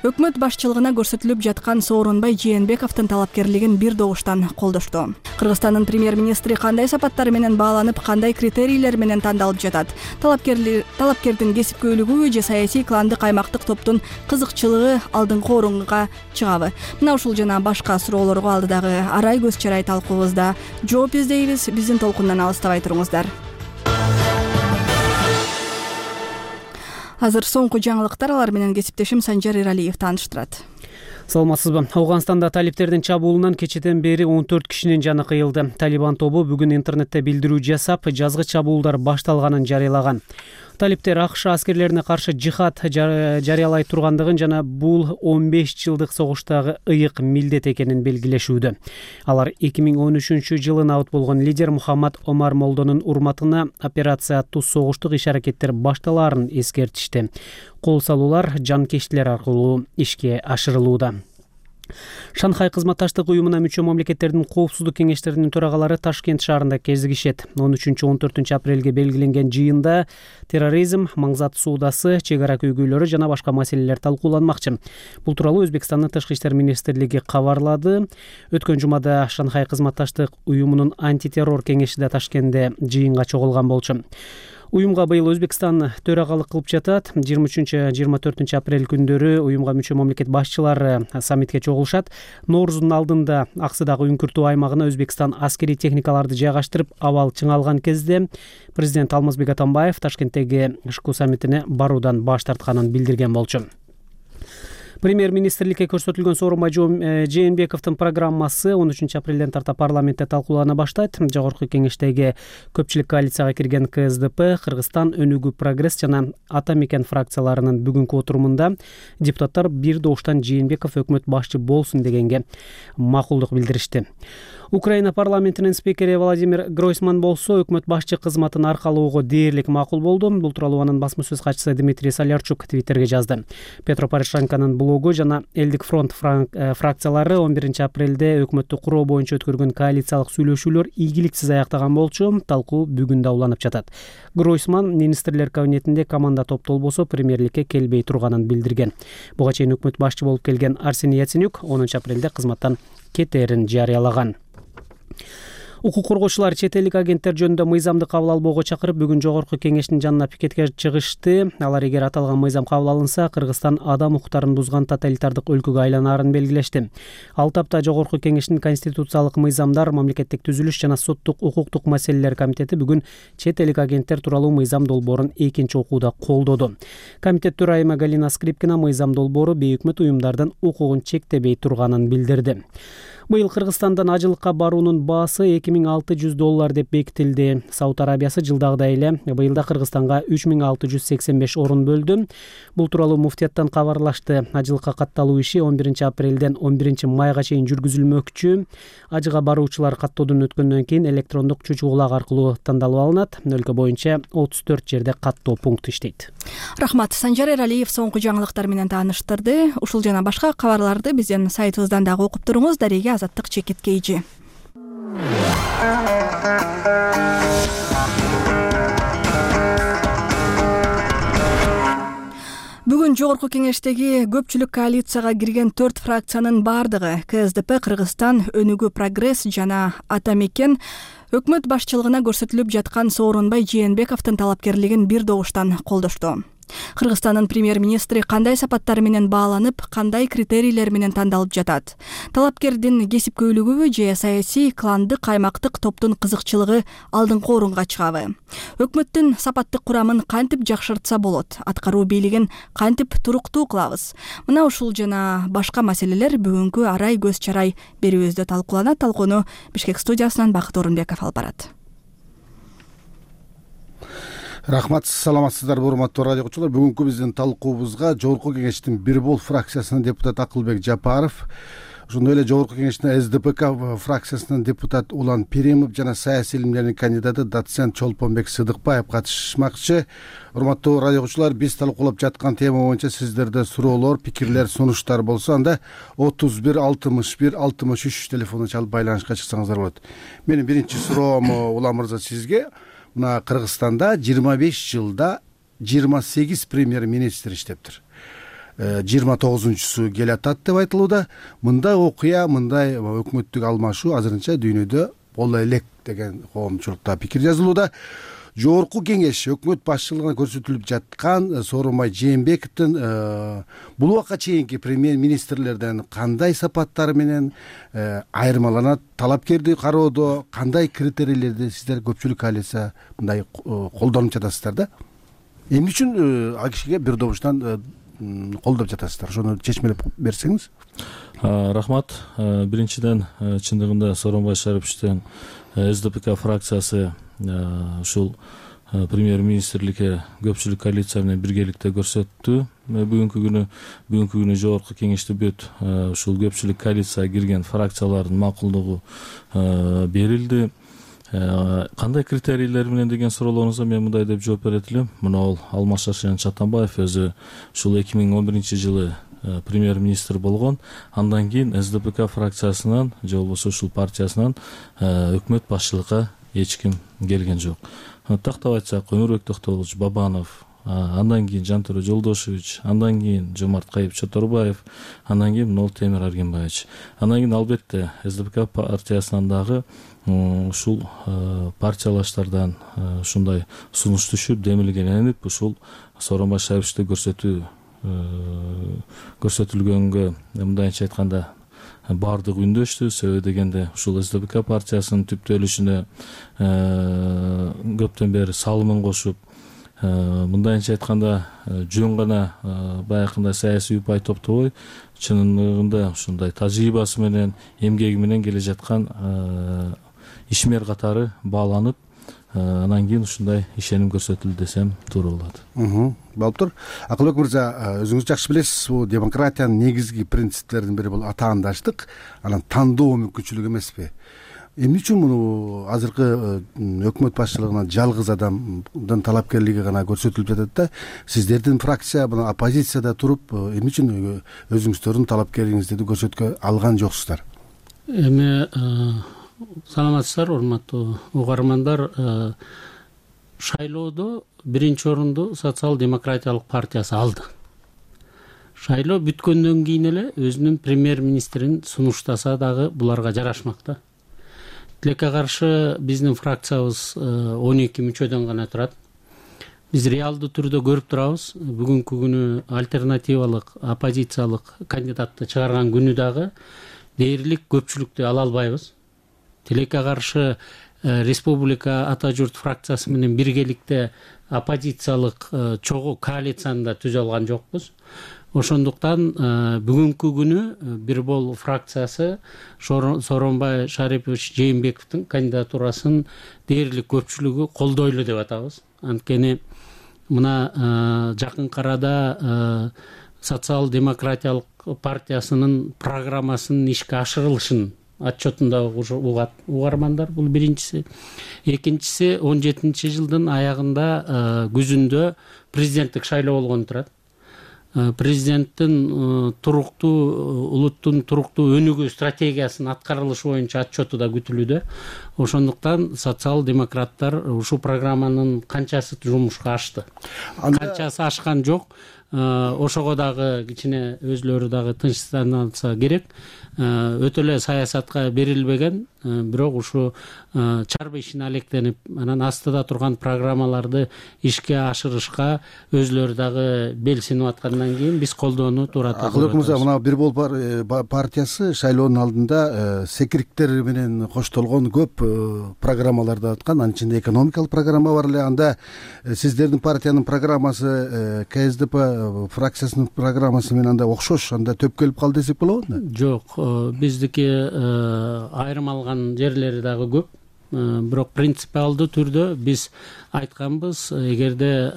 Speaker 1: өкмөт башчылыгына көрсөтүлүп жаткан Сооронбай Жээнбековдун талапкерлигин бир добуштан колдошту. Кыргызстандын премьер-министри кандай сапаттар менен бааланып, кандай критерийлер менен тандалып жатат? Талапкердин кесипкөйлүгү же саясий кландык аймактык топтун кызыкчылыгы алдыңкы орунга чыгабы? Мына ушул жана башка суроолорго алдыдагы арай көз чарай талкуубузда жооп издейбиз. Биздин толкундан алыстабай туруңуздар. Азыр соңку жаңылыктар, алар менен кесиптешим Санжар Иралиев тааныштырат.
Speaker 4: Саламатсызбы? Ауганстанда талипттердин чабуулунан кечеден бери 14 кишинин жаны кыйылды. Талибан тобу бүгүн интернетте билдирүү жасап, жазгы чабуулдар башталганын жарыялаган. Талиптер АКШ аскерлерине каршы жихад жарыялай тургандыгын жана бул 15 жылдык согуштагы ыйык милдет экенин белгилешүүдө. Алар 2013-жылы набыт болгон лидер Мухаммад Омар Молдонун урматына операция аттуу согуштук иш-аракеттер башталаарын эскертишти. Кол салуулар жанкештилер аркылуу ишке ашырылууда. Шанхай кызматташтык уюмуна мүчө мамлекеттердин коопсуздук кеңештеринин төрагалары Ташкент шаарында кезигишет. 13-14 апрелге белгиленген жыйында терроризм, маңзат суудасы, чек ара көйгөйлөрү жана башка маселелер талкууланмакчы. Бул тууралуу Өзбекстандын Тышкы иштер министрлиги кабарлады. Өткөн жумада Шанхай кызматташтык уюмунун антитеррор кеңеши да Ташкентте жыйынга чогулган болчу. Уюмга быйыл Өзбекстан төрагалык кылып жатат. 23-24 апрель күндөрү уюмга мүчө мамлекет башчылары саммитке чогулушат. Ноорузун алдында Аксыдагы үңкүртүү аймагына Өзбекстан аскерий техникаларды жайгаштырып, абал чыңалган кезде президент Алмазбек Атамбаев Ташкенттеги ШКУ саммитине баруудан баш тартканын билдирген болчу. Премьер-министрликке көрсөтүлгөн Сооронбай Жээнбековдун программасы 13 апрелден тарта парламентте талкуулана баштайт. Жогорку кеңештеги көпчүлүк коалицияга кирген КСДП, Кыргызстан, Өнүгүү Прогресс жана Ата Мекен фракцияларынын бүгүнкү отурумунда депутаттар бир добуштан Жээнбеков өкмөт башчы болсун дегенге макулдук билдиришти. Украина парламентинин спикери Владимир Гройсман болсо өкмөт башчы кызматын аркалоого дээрлик макул болду. Бул тууралуу анын басма сөз катчысы Дмитрий Солярчук Твиттерге жазды. Петро Порошенконун блогу жана Элдик фронт фракциялары 11 апрелде өкмөттү куруу боюнча өткөргөн коалициялык сүйлөшүүлөр ийгиликсиз аяктаган болчу. Талкуу бүгүн да уланып жатат. Гройсман министрлер кабинетинде команда топтолбосо премьерликке келбей турганын билдирген. Буга чейин өкмөт башчы болуп келген Арсений Яценюк 10 апрелде кызматтан кетээрин жарыялаган. Укук коргоочулар чет элдик агенттер жөнүндө мыйзамды кабыл албоого чакырып, бүгүн жогорку кеңештин жанына пикетке чыгышты. Алар эгер аталган мыйзам кабыл алынса, Кыргызстан адам укуктарын бузган тоталитардык өлкөгө айланаарын белгилешти. Ал тапта жогорку кеңештин конституциялык мыйзамдар, мамлекеттик түзүлүш жана соттук укуктук маселелер комитети бүгүн чет элдик агенттер тууралуу мыйзам долбоорун экинчи окууда колдоду. Комитет төрайымы Галина Скрипкина мыйзам долбоору бейөкмөт уюмдардын укугун чектебей турганын билдирди. Быйыл Кыргызстандан ажылыкка баруунун баасы $2600 деп бекитилди. Сауд Арабиясы жылдагыдай эле быйылда Кыргызстанга 3685 орун бөлдү. Бул тууралуу муфтияттан кабарлашты. Ажылыкка катталуу иши 11 апрелден 11 майга чейин жүргүзүлмөкчү. Ажыга баруучулар каттоодон өткөндөн кийин электрондук чучугулак аркылуу тандалып алынат. Өлкө боюнча 34 жерде каттоо пункту иштейт.
Speaker 1: Рахмат. Санжар Эралиев соңку жаңылыктар менен тааныштырды. Ушул жана башка кабарларды биздин сайтыбыздан дагы окуп туруңуз. Дареге Азаттык чекит кейжи. бүгүн жогорку кеңештеги көпчүлүк коалицияга кирген 4 фракциянын бардыгы КСДП, Кыргызстан, Өнүгүү Прогресс жана Ата Мекен өкмөт башчылыгына көрсөтүлүп жаткан Сооронбай Жээнбековдун талапкерлигин бир добуштан колдошту. Кыргызстандын премьер-министри кандай сапаттар менен бааланып, кандай критерийлер менен тандалып жатат? Талапкердин кесипкөйлүгүбү же саясий, кландык, аймактык топтун кызыкчылыгы алдыңкы орунга чыгабы? Өкмөттүн сапаттык курамын кантип жакшыртса болот? Аткаруу бийлигин кантип туруктуу кылабыз? Мына ушул жана башка маселелер бүгүнкү арай көз чарай берүүбүздө талкууланат. Талкууну Бишкек студиясынан Бакыт Орунбеков алып барат.
Speaker 2: Рахмат, саламатсыздарбы урматтуу радио угуучулар. Бүгүнкү биздин талкуубузга жогорку кеңештин бир бол фракциясынын депутаты Акылбек Жапаров, ошондой эле жогорку кеңештин СДПК фракциясынын депутаты Улан Перимов жана саясий илимдердин кандидаты доцент Чолпонбек Сыдыкбаев катышмакчы. Урматтуу радио угуучулар, биз талкуулап жаткан тема боюнча сиздерде суроолор, пикирлер, сунуштар болсо, анда 31 61 63 телефонуна чалып байланышка чыксаңыздар болот. Менин биринчи суроом Улан мырза сизге. Мына Кыргызстанда 25 жылда 28 премьер-министр иштептир. 29-су келе атат деп айтылууда. Мындай окуя, мындай өкмөттүк алмашуу азырынча дүйнөдө боло элек деген коомчулукта пикир жазылууда. Жогорку кеңеш өкмөт башчылыгына көрсөтүлүп жаткан Сооронбай Жээнбековдун бул убакка чейинки премьер-министрлерден кандай сапаттары менен айырмаланат? Талапкерди кароодо кандай критерийлерди сиздер көпчүлүк коалиция мындай колдонуп жатасыздар да? Эмне үчүн ал кишиге бир добуштан колдоп жатасыздар? Ошону чечмелеп берсеңиз.
Speaker 5: Рахмат. Биринчиден, чындыгында Сооронбай Шариповичтин СДПК фракциясы ушул премьер-министрликке көпчүлүк коалиция менен биргеликте көрсөттү. Бүгүнкү күнү жогорку кеңеште бүт ушул көпчүлүк коалицияга кирген фракциялардын макулдугу берилди. Кандай критерийлер менен деген суроолоруңузга мен мындай деп жооп берет элем. Мына ал Алмаз Шаршенович Атамбаев өзү ушул 2011 жылы премьер-министр болгон. Андан кийин СДПК фракциясынан же болбосо ушул партиясынан өкмөт башчылыкка эч ким келген жок. Тактап айтсак, Өмүрбек Токтогулович Бабанов, андан кийин Жантөре Жолдошевич, андан кийин Жомарт Кайып Чоторбаев, андан кийин Нол Темир Аргенбаевич. Андан кийин албетте СДПК партиясынан дагы ушул партиялаштардан ушундай сунуш түшүп, демилгеленип, ушул Сооронбай Шариповичти көрсөтүлгөнгө мындайча айтканда бардык үндөштү. Себеби дегенде ушул СДПК партиясынын түптөлүшүнө көптөн бери салымын кошуп, мындайча айтканда жөн гана баягындай саясий упай топтобой, чынында ушундай тажрыйбасы менен, эмгеги менен келе жаткан ишмер катары бааланып, анан кийин ушундай ишеним көрсөтүлдү десем туура болот.
Speaker 2: Болуп тур. Акылбек мырза, өзүңүз жакшы билесиз, бул демократиянын негизги принциптеринин бири бул атаандаштык, анан тандоо мүмкүнчүлүгү эмеспи? Эмне үчүн муну азыркы өкмөт башчылыгына жалгыз адамдын талапкерлиги гана көрсөтүлүп жатат да? Сиздердин фракция мына оппозицияда туруп, эмне үчүн өзүңүздөрдүн талапкерлигиңизди көрсөткө алган жоксуздар?
Speaker 23: Эми саламатсыздар, урматтуу угармандар. Шайлоодо биринчи орунду социал-демократиялык партиясы алды. Шайлоо бүткөндөн кийин эле өзүнүн премьер-министрин сунуштаса дагы буларга жарашмакта. Тилекке каршы биздин фракциябыз 12 мүчөдөн гана турат. Биз реалдуу түрдө көрүп турабыз. Бүгүнкү күнү альтернативалык, оппозициялык кандидатты чыгарган күнү дагы дээрлик көпчүлүктү ала албайбыз. Тилекке каршы республика ата журт фракциясы менен биргеликте оппозициялык чогуу коалицияны да түзө алган жокпуз. Ошондуктан бүгүнкү күнү бир бол фракциясы Сооронбай Шарипович Жээнбековдун кандидатурасын дээрлик көпчүлүгү колдойлу деп атабыз. Анткени мына жакынкы арада социал-демократиялык партиясынын программасынын ишке ашырылышын отчетунда угат угармандар. Бул биринчиси. Экинчиси 17 жылдын аягында күзүндө президенттик шайлоо болгон турат. Президенттин улуттун туруктуу өнүгүү стратегиясынын аткарылышы боюнча отчету да күтүлүүдө. Ошондуктан социал-демократтар ушул программанын канчасы жумушка ашты, канчасы ашкан жок. ошого дагы кичине өзүлөрү дагы тынчсызданса керек. Өтө эле саясатка берилбеген, бирок ушу чарба ишине алектенип, анан астыда турган программаларды ишке ашырышка өзүлөрү дагы белсинип аткандан кийин биз колдоону туура
Speaker 2: Акылбек мырза, мына Бир Бол партиясы шайлоонун алдында секириктер менен коштолгон көп программаларды аткан. Анын ичинде экономикалык программа бар эле. Анда сиздердин партиянын программасы КСДП фракциясынын программасы менен анда окшош, анда төп келип калды десек болобу?
Speaker 23: Жок, биздики айрым алган жерлери дагы көп. Бирок принципиалдуу түрдө биз айтканбыз, эгерде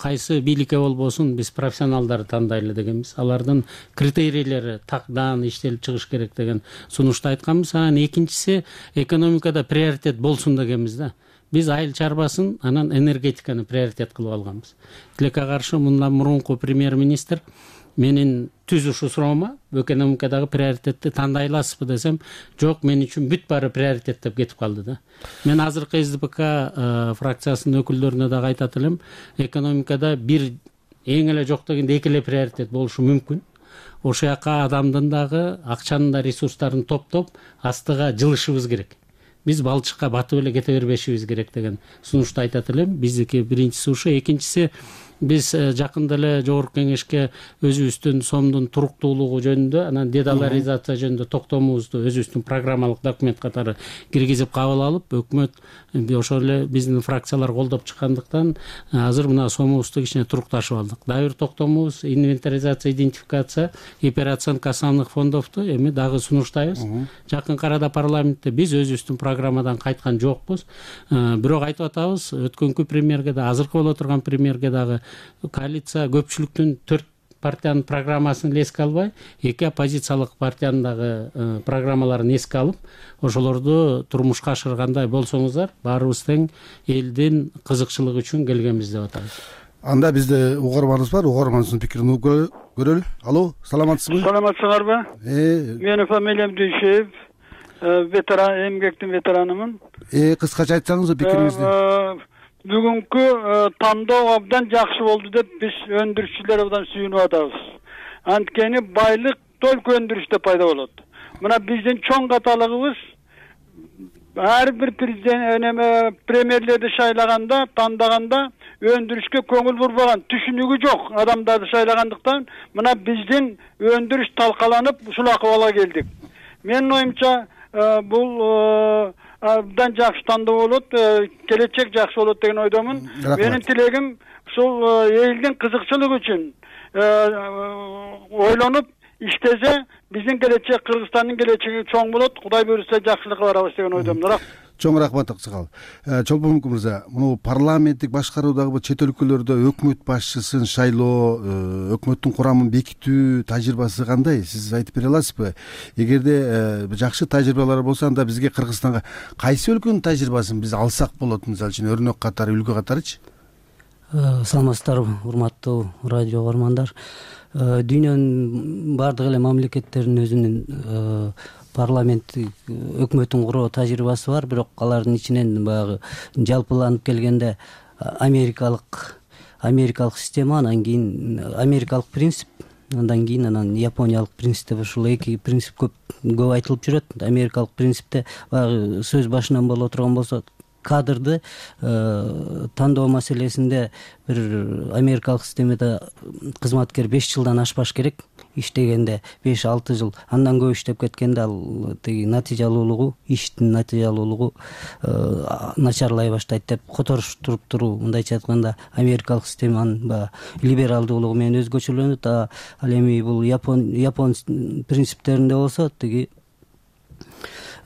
Speaker 23: кайсы бийликке болбосун биз профессионалдарды тандайлы дегенбиз. Алардын критерийлери тактан иштелип чыгыш керек деген сунушту айтканбыз. Анан экинчиси экономикада приоритет болсун дегенбиз да. Биз айыл чарбасын, анан энергетиканы приоритет кылып алганбыз. Тилекке каршы мындан мурунку премьер-министр менин түз ушу суроома экономикадагы приоритетти тандай аласызбы десем, жок, мен үчүн бүт баары приоритет деп кетип калды да. Мен азыркы СДПК фракциясынын өкүлдөрүнө дагы айтат элем, экономикада бир эң эле жок дегенде эки эле приоритет болушу мүмкүн. Ошол жака адамдын дагы, акчанын да ресурстарын топтоп астыга жылышыбыз керек. Биз балчыкка батып эле кете бербешибиз керек деген сунушту айтат элем. Биздики биринчиси ушу, экинчиси биз жакында эле жогорку кеңешке өзүбүздүн сомдун туруктуулугу жөнүндө, анан дедоларизация жөнүндө токтомубузду өзүбүздүн программалык документ катары киргизип кабыл алып, өкмөт ошол эле биздин фракциялар колдоп чыккандыктан азыр мына сомубузду кичине турукташып алдык. Дагы бир токтомубуз инвентаризация, идентификация и переоценка основных фондовду эми дагы сунуштайбыз. Жакынкы арада парламентте биз өзүбүздүн программадан кайткан жокпуз. Бирок айтып атабыз, өткөнкү премьерге да, азыркы боло турган премьерге дагы коалиция көпчүлүктүн 4 партиянын программасын эске албай, 2 оппозициялык партиянын дагы программаларын эске алып, ошолорду турмушка ашыргандай болсоңуздар, баарыбыз тең элдин кызыкчылыгы үчүн келгенбиз деп атабыз.
Speaker 2: Анда бизде угарманыбыз бар, угарманыбыздын пикирин угуп көрөлү. Алло, саламатсызбы?
Speaker 7: Саламатсыңарбы? Менин фамилиям Дүйшеев, ветеран, эмгектин ветеранымын.
Speaker 2: Кыскача айтсаңыз пикириңизди.
Speaker 7: Бүгүнкү тандоо абдан жакшы болду деп биз өндүрүшчүлөр абдан сүйүнүп атабыз. Анткени байлык только өндүрүштө пайда болот. Мына биздин чоң каталыгыбыз ар бир президент премьерлерди шайлаганда, тандаганда өндүрүшкө көңүл бурбаган, түшүнүгү жок адамдарды шайлагандыктан мына биздин өндүрүш талкаланып ушул акыбалга келдик. Менин оюмча бул абдан жакшы тандоо болот, келечек жакшы болот деген ойдомун. Менин тилегим ушул элдин кызыкчылыгы үчүн ойлонуп иштесе, биздин келечек, Кыргызстандын келечеги чоң болот. Кудай буйрса жакшылыкка барабыз деген ойдомун.
Speaker 2: Чоң рахмат Аксакал. Чолпонмук мырза, муну парламенттик башкаруудагы чет өлкөлөрдө өкмөт башчысын шайлоо, өкмөттүн курамын бекитүү тажрыйбасы кандай? Сиз айтып бере аласызбы? Эгерде жакшы тажрыйбалар болсо, анда бизге Кыргызстанга кайсы өлкөнүн тажрыйбасын биз алсак болот, мисалы үчүн өрнөк катары, үлгү катарычы?
Speaker 9: Саламатсыздарбы, урматтуу радио угармандар. Дүйнөнүн бардык эле мамлекеттеринин өзүнүн парламенттик өкмөтүн куруу тажрыйбасы бар, бирок алардын ичинен баягы жалпыланып келгенде америкалык система, анан кийин америкалык принцип, андан кийин анан япониялык принцип деп ушул эки принцип көп айтылып жүрөт. Америкалык принципте баягы сөз башынан боло турган болсо, кадрды тандоо маселесинде бир америкалык системада кызматкер 5 жылдан ашпаш керек. Иштегенде 5-6 жыл, андан көп иштеп кеткенде ал теги натыйжалуулугу, иштин натыйжалуулугу начарлай баштайт деп которуштуруп туруу. Мындайча айтканда америкалык системанын либералдуулугу менен өзгөчөлөнөт. Ал эми бул япон принциптеринде болсо, теги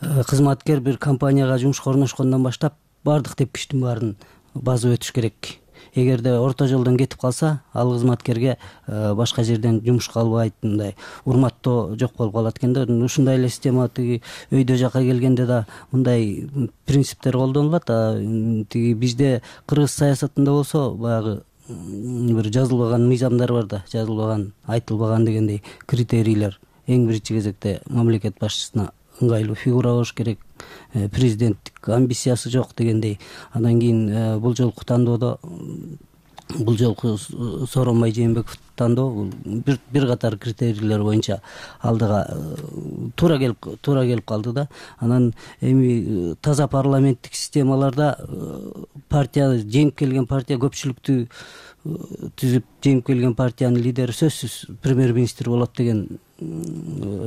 Speaker 9: кызматкер бир компанияга жумушка орношкондон баштап бардык тепкичтин баарын басып өтүш керек. Эгерде орто жолдон кетип калса, ал кызматкерге башка жерден жумушка албайт, мындай урматтоо жок болуп калат экен да. Ушундай эле система тиги өйдө жака келгенде да мындай принциптер колдонулат. Тиги бизде кыргыз саясатында болсо, баягы бир жазылбаган мыйзамдар бар да, жазылбаган, айтылбаган дегендей критерийлер. Эң биринчи кезекте мамлекет башчысына ыңгайлуу фигура болуш керек, президенттик амбициясы жок дегендей. Андан кийин бул жолку тандоодо бул жолку Сооронбай Жээнбековду тандоо бул бир катар критерийлер боюнча алдыга туура келип калды да. Анан эми таза парламенттик системаларда партия жеңип келген партия көпчүлүктү түзүп жеңип келген партиянын лидери сөзсүз премьер-министр болот деген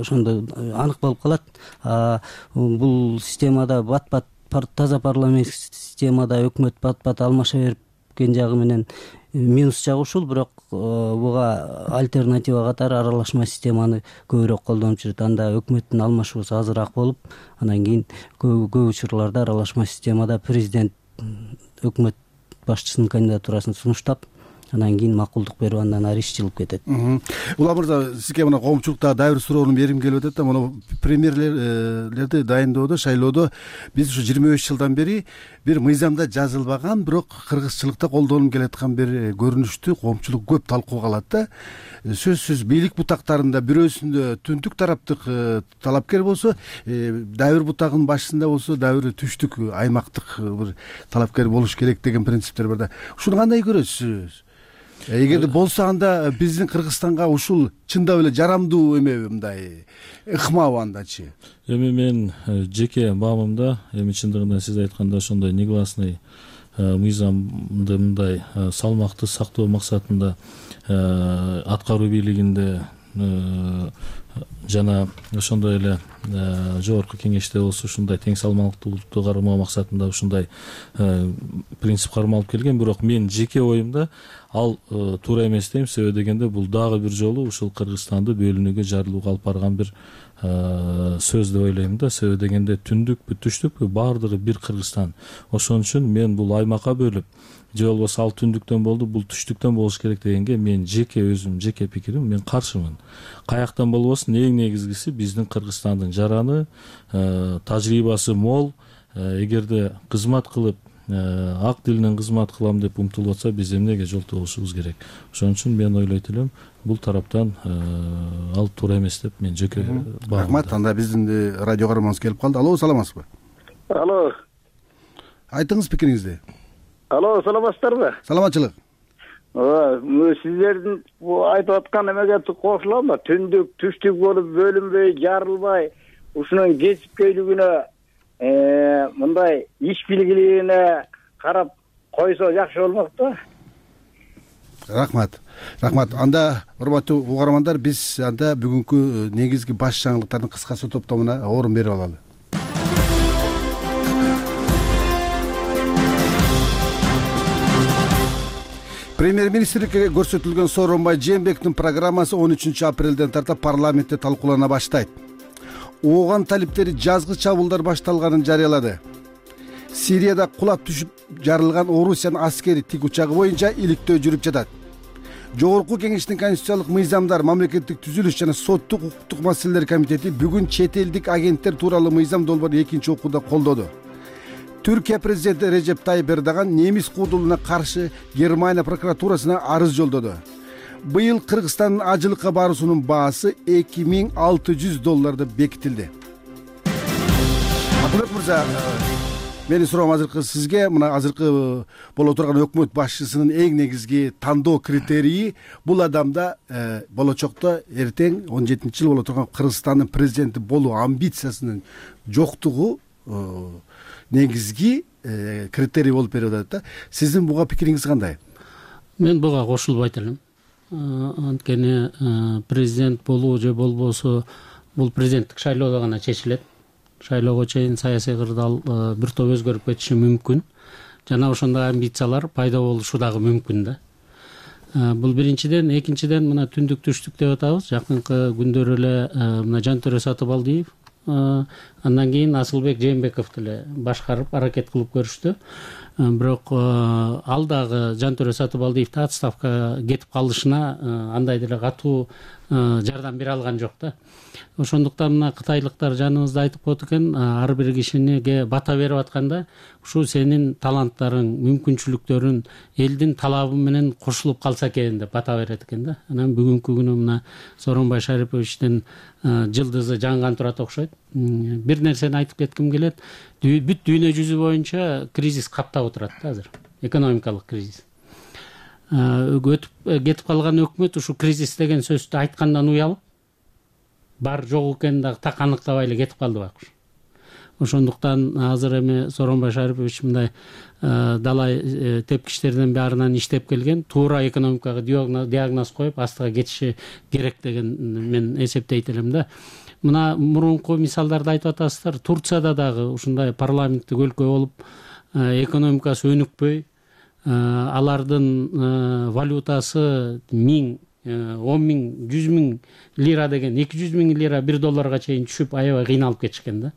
Speaker 9: ошондо анык болуп калат. Бул системада бат-бат таза парламенттик системада өкмөт бат-бат алмаша берген жагы менен минус жагы ушул, бирок буга альтернатива катары аралашма системаны көбүрөөк колдонуп жүрөт. Анда өкмөттүн алмашуусу азыраак болуп, анан кийин көп учурларда аралашма системада президент өкмөт башчысынын кандидатурасын сунуштап, анан кийин макулдук берип, андан ары иш жылып кетет.
Speaker 2: Улам мырза, сизге мына коомчулукта дагы бир суроону бергим келип атат да. Мына премьерлерди дайындоодо, шайлоодо биз ушу 25 жылдан бери бир мыйзамда жазылбаган, бирок кыргызчылыкта колдонуп келаткан бир көрүнүштү коомчулук көп талкууга алат да. Сөзсүз бийлик бутактарында бирөөсүндө түндүк тараптык талапкер болсо, дагы бир бутагынын башчысында болсо, дагы бир түштүк аймактык бир талапкер болуш керек деген принциптер бар да. Ушуну кандай көрөсүз? Эгерде болсо, анда биздин Кыргызстанга ушул чындап эле жарамдуу эмеби, мындай ыкмабы андачы?
Speaker 5: Эми мен жеке баамымда, эми чындыгында сиз айткандай ошондой негласный мыйзамды мындай салмакты сактоо максатында аткаруу бийлигинде жана ошондой эле жогорку кеңеште болсо ушундай тең салмактуулукту кармоо максатында ушундай принцип кармалып келген. Бирок мен жеке оюмда ал туура эмес дейм. Себеби дегенде бул дагы бир жолу ушул Кыргызстанды бөлүнүүгө, жарылууга алып барган бир сөз деп ойлойм да. Себеби дегенде түндүкпү, түштүкпү, баардыгы бир Кыргызстан. Ошон үчүн мен бул аймакка бөлүп, же болбосо ал түндүктөн болду, бул түштүктөн болуш керек дегенге мен жеке пикирим, мен каршымын. Каяктан болбосун, эң негизгиси биздин Кыргызстандын жараны, тажрыйбасы мол. Эгерде кызмат кылып, ак дил менен кызмат кылам деп умтулуп атса, биз эмнеге жолтогушубуз керек? Ошон үчүн мен ойлойт элем, бул тараптан ал туура эмес деп мен жеке баамдайм.
Speaker 2: Рахмат. Анда биздин радио каарманыбыз келип калды. Алло, саламатсызбы?
Speaker 6: Алло.
Speaker 2: Айтыңыз пикириңизди.
Speaker 6: Алло, саламатсыздарбы?
Speaker 2: Саламатчылык.
Speaker 6: Сиздердин айтып аткан эмеге кошулам да. Түндүк, түштүк болуп бөлүнбөй, жарылбай, ушунун кесипкөйлүгүнө, мындай иш билгилигине карап койсо жакшы болмок да.
Speaker 2: Рахмат. Анда урматтуу угармандар, биз анда бүгүнкү негизги баш жаңылыктардын кыскасы топтомуна орун берип алалы. Премьер-министрликке көрсөтүлгөн Сооронбай Жээнбековдун программасы 13 апрелден тарта парламентте талкуулана баштайт. Ооган талиптери жазгы чабуулдар башталганын жарыялады. Сирияда кулап түшүп жарылган Орусиянын аскери тикучагы боюнча иликтөө жүрүп жатат. Жогорку кеңештин конституциялык мыйзамдар, мамлекеттик түзүлүш жана соттук укуктук маселелер комитети бүгүн чет элдик агенттер тууралуу мыйзам долбоорун экинчи окууда колдоду. Түркия президенти Режеп Тайип Эрдоган немис куудулуна каршы Германия прокуратурасына арыз жолдоду. Быйыл Кыргызстандын ажылыкка баруусунун баасы $2600 бекитилди. Акылбек мырза, менин суроом азыркы сизге, мына азыркы боло турган өкмөт башчысынын эң негизги тандоо критерийи бул адамда болочокто эртең 17-жыл боло турган Кыргызстандын президенти болуу амбициясынын жоктугу негизги критерий болуп берип атат да. Сиздин буга пикириңиз кандай?
Speaker 23: Мен буга кошулбайт элем. Анткени президент болуу же болбосо бул президенттик шайлоодо гана чечилет. Шайлоого чейин саясий кырдаал бир топ өзгөрүп кетиши мүмкүн. Жана ошондой амбициялар пайда болушу дагы мүмкүн да. Бул биринчиден, экинчиден мына түндүк түштүк деп атабыз. Жакынкы күндөр эле мына Жантөре Сатыбалдиев, андан кийин Асылбек Жээнбеков деле башкарып аракет кылып көрүштү. Бирок ал дагы Жантөре Сатыбалдиевди отставкага кетип калышына андай деле катуу жардам бере алган жок да. Ошондуктан мына кытайлыктар жаныбызда айтып коет экен, ар бир кишиге бата берип атканда ушул сенин таланттарың, мүмкүнчүлүктөрүң элдин талабы менен кошулуп калса экен деп бата берет экен да. Анан бүгүнкү күнү мына Сооронбай Шариповичтин жылдызы жанган турат окшойт. Бир нерсени айтып кетким келет. Бүт дүйнө жүзү боюнча кризис каптап отурат да азыр. Экономикалык кризис. өтүп кетип калган өкмөт ушу кризис деген сөздү айткандан уялып бар жок экенин дагы так аныктабай эле кетип калды байкуш. Ошондуктан азыр эми Сооронбай Шарипович мындай далай тепкичтердин баарынан иштеп келген, туура экономикага диагноз коюп астыга кетиши керек деген мен эсептейт элем да. Мына мурунку мисалдарды айтып атасыздар. Турцияда дагы ушундай парламенттик өлкө болуп, экономикасы өнүкпөй, алардын валютасы 1000, 10 миң, 100 миң лира деген 200 миң лира $1 чейин түшүп аябай кыйналып кетишкен да.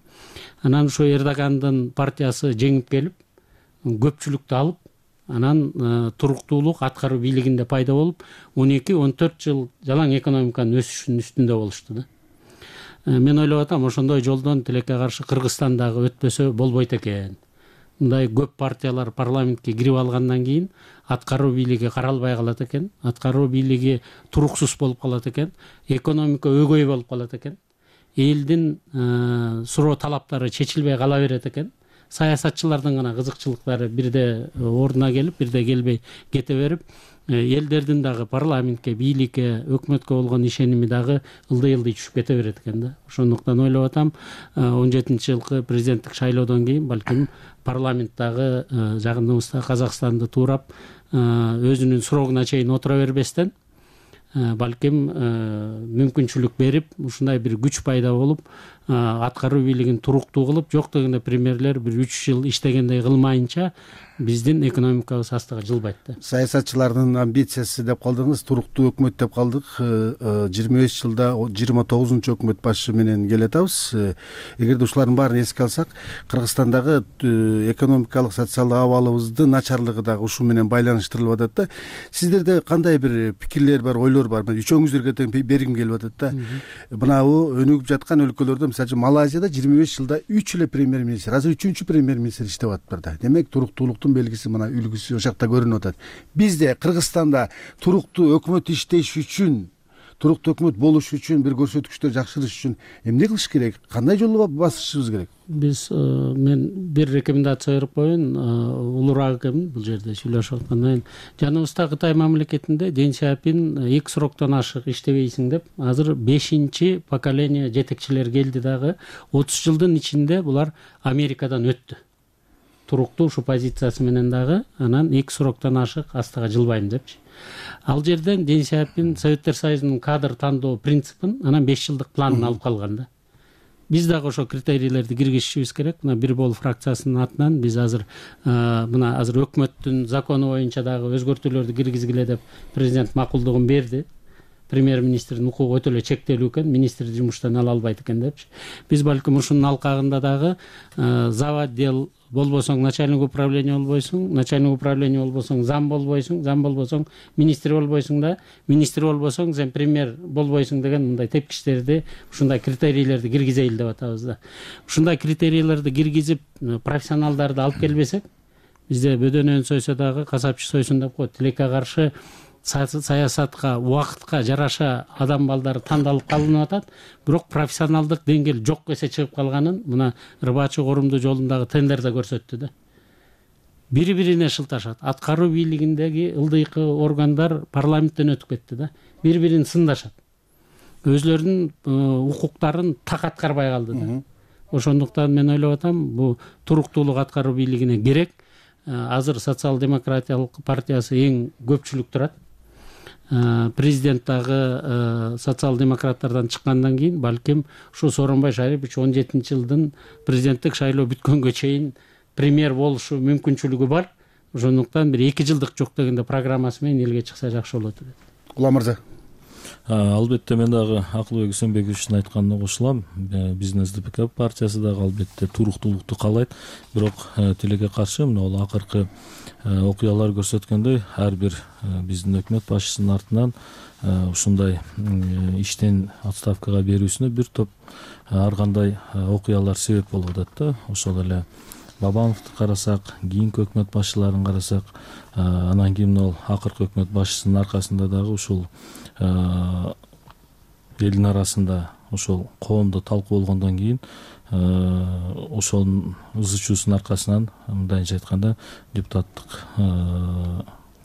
Speaker 23: Анан ошо Эрдогандын партиясы жеңип келип, көпчүлүктү алып, анан туруктуулук аткаруу бийлигинде пайда болуп, 12-14 жыл жалаң экономиканын өсүшүнүн үстүндө болушту да. Мен ойлоп атам, ошондой жолдон тилекке каршы Кыргызстан дагы өтпөсө болбойт экен. Мындай көп партиялар парламентке кирип алгандан кийин аткаруу бийлиги каралбай калат экен, аткаруу бийлиги туруксуз болуп калат экен, экономика өгөй болуп калат экен, элдин суроо талаптары чечилбей кала берет экен. Саясатчылардын гана кызыкчылыктары бирде ордуна келип, бирде келбей кете берип, элдердин дагы парламентке, бийликке, өкмөткө болгон ишеними дагы ылдый-ылдый түшүп кете берет экен да. Ошондуктан ойлоп атам, 17-жылкы президенттик шайлоодон кийин балким парламент дагы жагыныбызда Казакстанды туурап, өзүнүн срогуна чейин отура бербестен, балким мүмкүнчүлүк берип, ушундай бир күч пайда болуп, аткаруу бийлигин туруктуу кылып, жок дегенде премьерлер бир 3 жыл иштегендей кылмайынча биздин экономикабыз астыга жылбайт да.
Speaker 2: Саясатчылардын амбициясы деп калдыңыз, туруктуу өкмөт деп калдык. 25 жылда 29-чу өкмөт башы менен келе атабыз. Эгерде ушулардын баарын эске алсак, Кыргызстандагы экономикалык, социалдык абалыбыздын начарлыгы дагы ушу менен байланыштырылып атат да. Сиздерде кандай бир пикирлер бар, ойлор бар? Үчөөңүздөргө тең бергим келип атат да. Мынабу өнүгүп жаткан өлкөлөрдө, мисалы үчүн Малайзияда 25 жылда 3 эле премьер-министр, азыр 3-чү премьер-министр иштеп атыптыр да. Демек туруктуулуктун белгиси, мына үлгүсү ошол жакта көрүнүп атат. Бизде Кыргызстанда туруктуу өкмөт иштеш үчүн, туруктуу өкмөт болуш үчүн, бир көрсөткүчтөр жакшырыш үчүн эмне кылыш керек? Кандай жолго басышыбыз керек?
Speaker 23: Мен бир рекомендация берип коеюн, улураак экенмин бул жерде сүйлөшүп аткандан. Жаныбызда Кытай мамлекетинде Дэн Сяопин 2 сроктон ашык иштебейсиң деп, азыр 5-чи поколение жетекчилер келди дагы. 30 жылдын ичинде булар Америкадан өттү. Туруктуу ушу позициясы менен дагы, анан 2 сроктон ашык астыга жылбайм депчи. Ал жерден Дэн Сяопин Советтер Союзунун кадр тандоо принципин, анан 5 жылдык планын алып калган да. Биз дагы ошо критерийлерди киргизишибиз керек. Мына бир бол фракциясынын атынан биз азыр мына азыр өкмөттүн закону боюнча дагы өзгөртүүлөрдү киргизгиле деп президент макулдугун берди. Премьер-министрдин укугу өтө эле чектелүү экен, министр жумуштан ала албайт экен депчи. Биз балким ушунун алкагында дагы зав. Отдел болбосоң начальник управление болбойсуң, начальник управление болбосоң зам болбойсуң, зам болбосоң министр болбойсуң да, министр болбосоң сен премьер болбойсуң деген мындай тепкичтерди, ушундай критерийлерди киргизейли деп атабыз да. Ушундай критерийлерди киргизип, профессионалдарды алып келбесек, бизде бөдөнөн сойсо дагы касапчы сойсун деп коет. Тилекке каршы саясатка, убакытка жараша адам балдары тандалып калынып атат, бирок профессионалдык деңгээл жок эсе чыгып калганын мына Рыбачы Корумду жолундагы тендерде көрсөттү да. Бири-бирине шылташат. Аткаруу бийлигиндеги ылдыйкы органдар парламенттен өтүп кетти да. Бири-бирин сындашат. Өзлөрүнүн укуктарын так аткарбай калды да. Ошондуктан мен ойлоп атам, бул туруктуулук аткаруу бийлигине керек. Азыр социал-демократиялык партиясы эң көпчүлүк турат. Президент дагы социал-демократтардан чыккандан кийин балким ушу Сооронбай Шарипович 17-жылдын президенттик шайлоо бүткөнгө чейин премьер болушу мүмкүнчүлүгү бар. Ошондуктан бир 2 жылдык жок дегенде программасы менен элге чыкса жакшы болот деп.
Speaker 2: Кула мырза.
Speaker 5: Албетте мен дагы Акылбек Үсөнбековичтин айтканына кошулам. Биздин СДПК партиясы дагы албетте туруктуулукту каалайт. Бирок тилекке каршы мына бул акыркы окуялар көрсөткөндөй, ар бир биздин өкмөт башчысынын артынан ушундай иштен отставкага берүүсүнө бир топ ар кандай окуялар себеп болуп атат да. Ошол эле Бабановду карасак, кийинки өкмөт башчыларын карасак, анан кийин ал акыркы өкмөт башчысынын аркасында дагы ушул элдин арасында ошол коомдо талкуу болгондон кийин ошонун ызы чуусунун аркасынан, мындайынча айтканда, депутаттык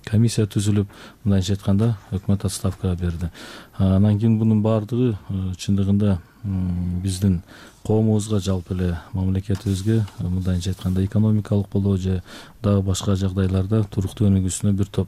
Speaker 5: комиссия түзүлүп, мындайча айтканда өкмөт отставкага берди. Анан кийин мунун баардыгы чындыгында биздин коомубузга, жалпы эле мамлекетибизге мындайча айтканда экономикалык болобу же дагы башка жагдайларда туруктуу өнүгүүсүнө бир топ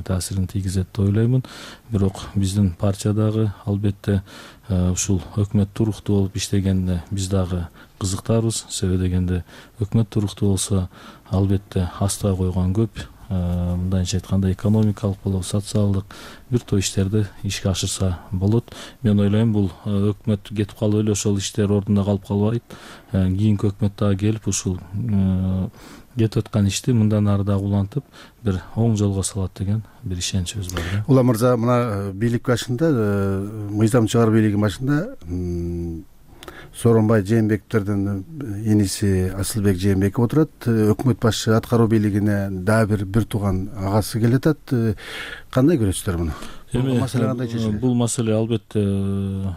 Speaker 5: таасирин тийгизет деп ойлоймун. Бирок биздин партия дагы албетте ушул өкмөт туруктуу болуп иштегенде биз дагы кызыктарбыз. Себеби дегенде өкмөт туруктуу болсо албетте астыга койгон көп, мындайча айтканда экономикалык болобу, социалдык бир топ иштерди ишке ашырса болот. Мен ойлойм, бул өкмөт кетип калып эле ошол иштер ордунда калып калбайт. Кийинки өкмөт дагы келип ушул кетип аткан ишти мындан ары дагы улантып бир оң жолго салат деген бир ишеничибиз бар.
Speaker 2: Улам мырза, мына бийлик башында, мыйзам чыгаруу бийлигинин башында Сооронбай Жээнбековдердин иниси Асылбек Жээнбеков отурат. Өкмөт башчы аткаруу бийлигине дагы бир тууган агасы келатат. Кандай көрөсүздөр муну? Бул маселе кандай чечилет?
Speaker 5: Бул маселе албетте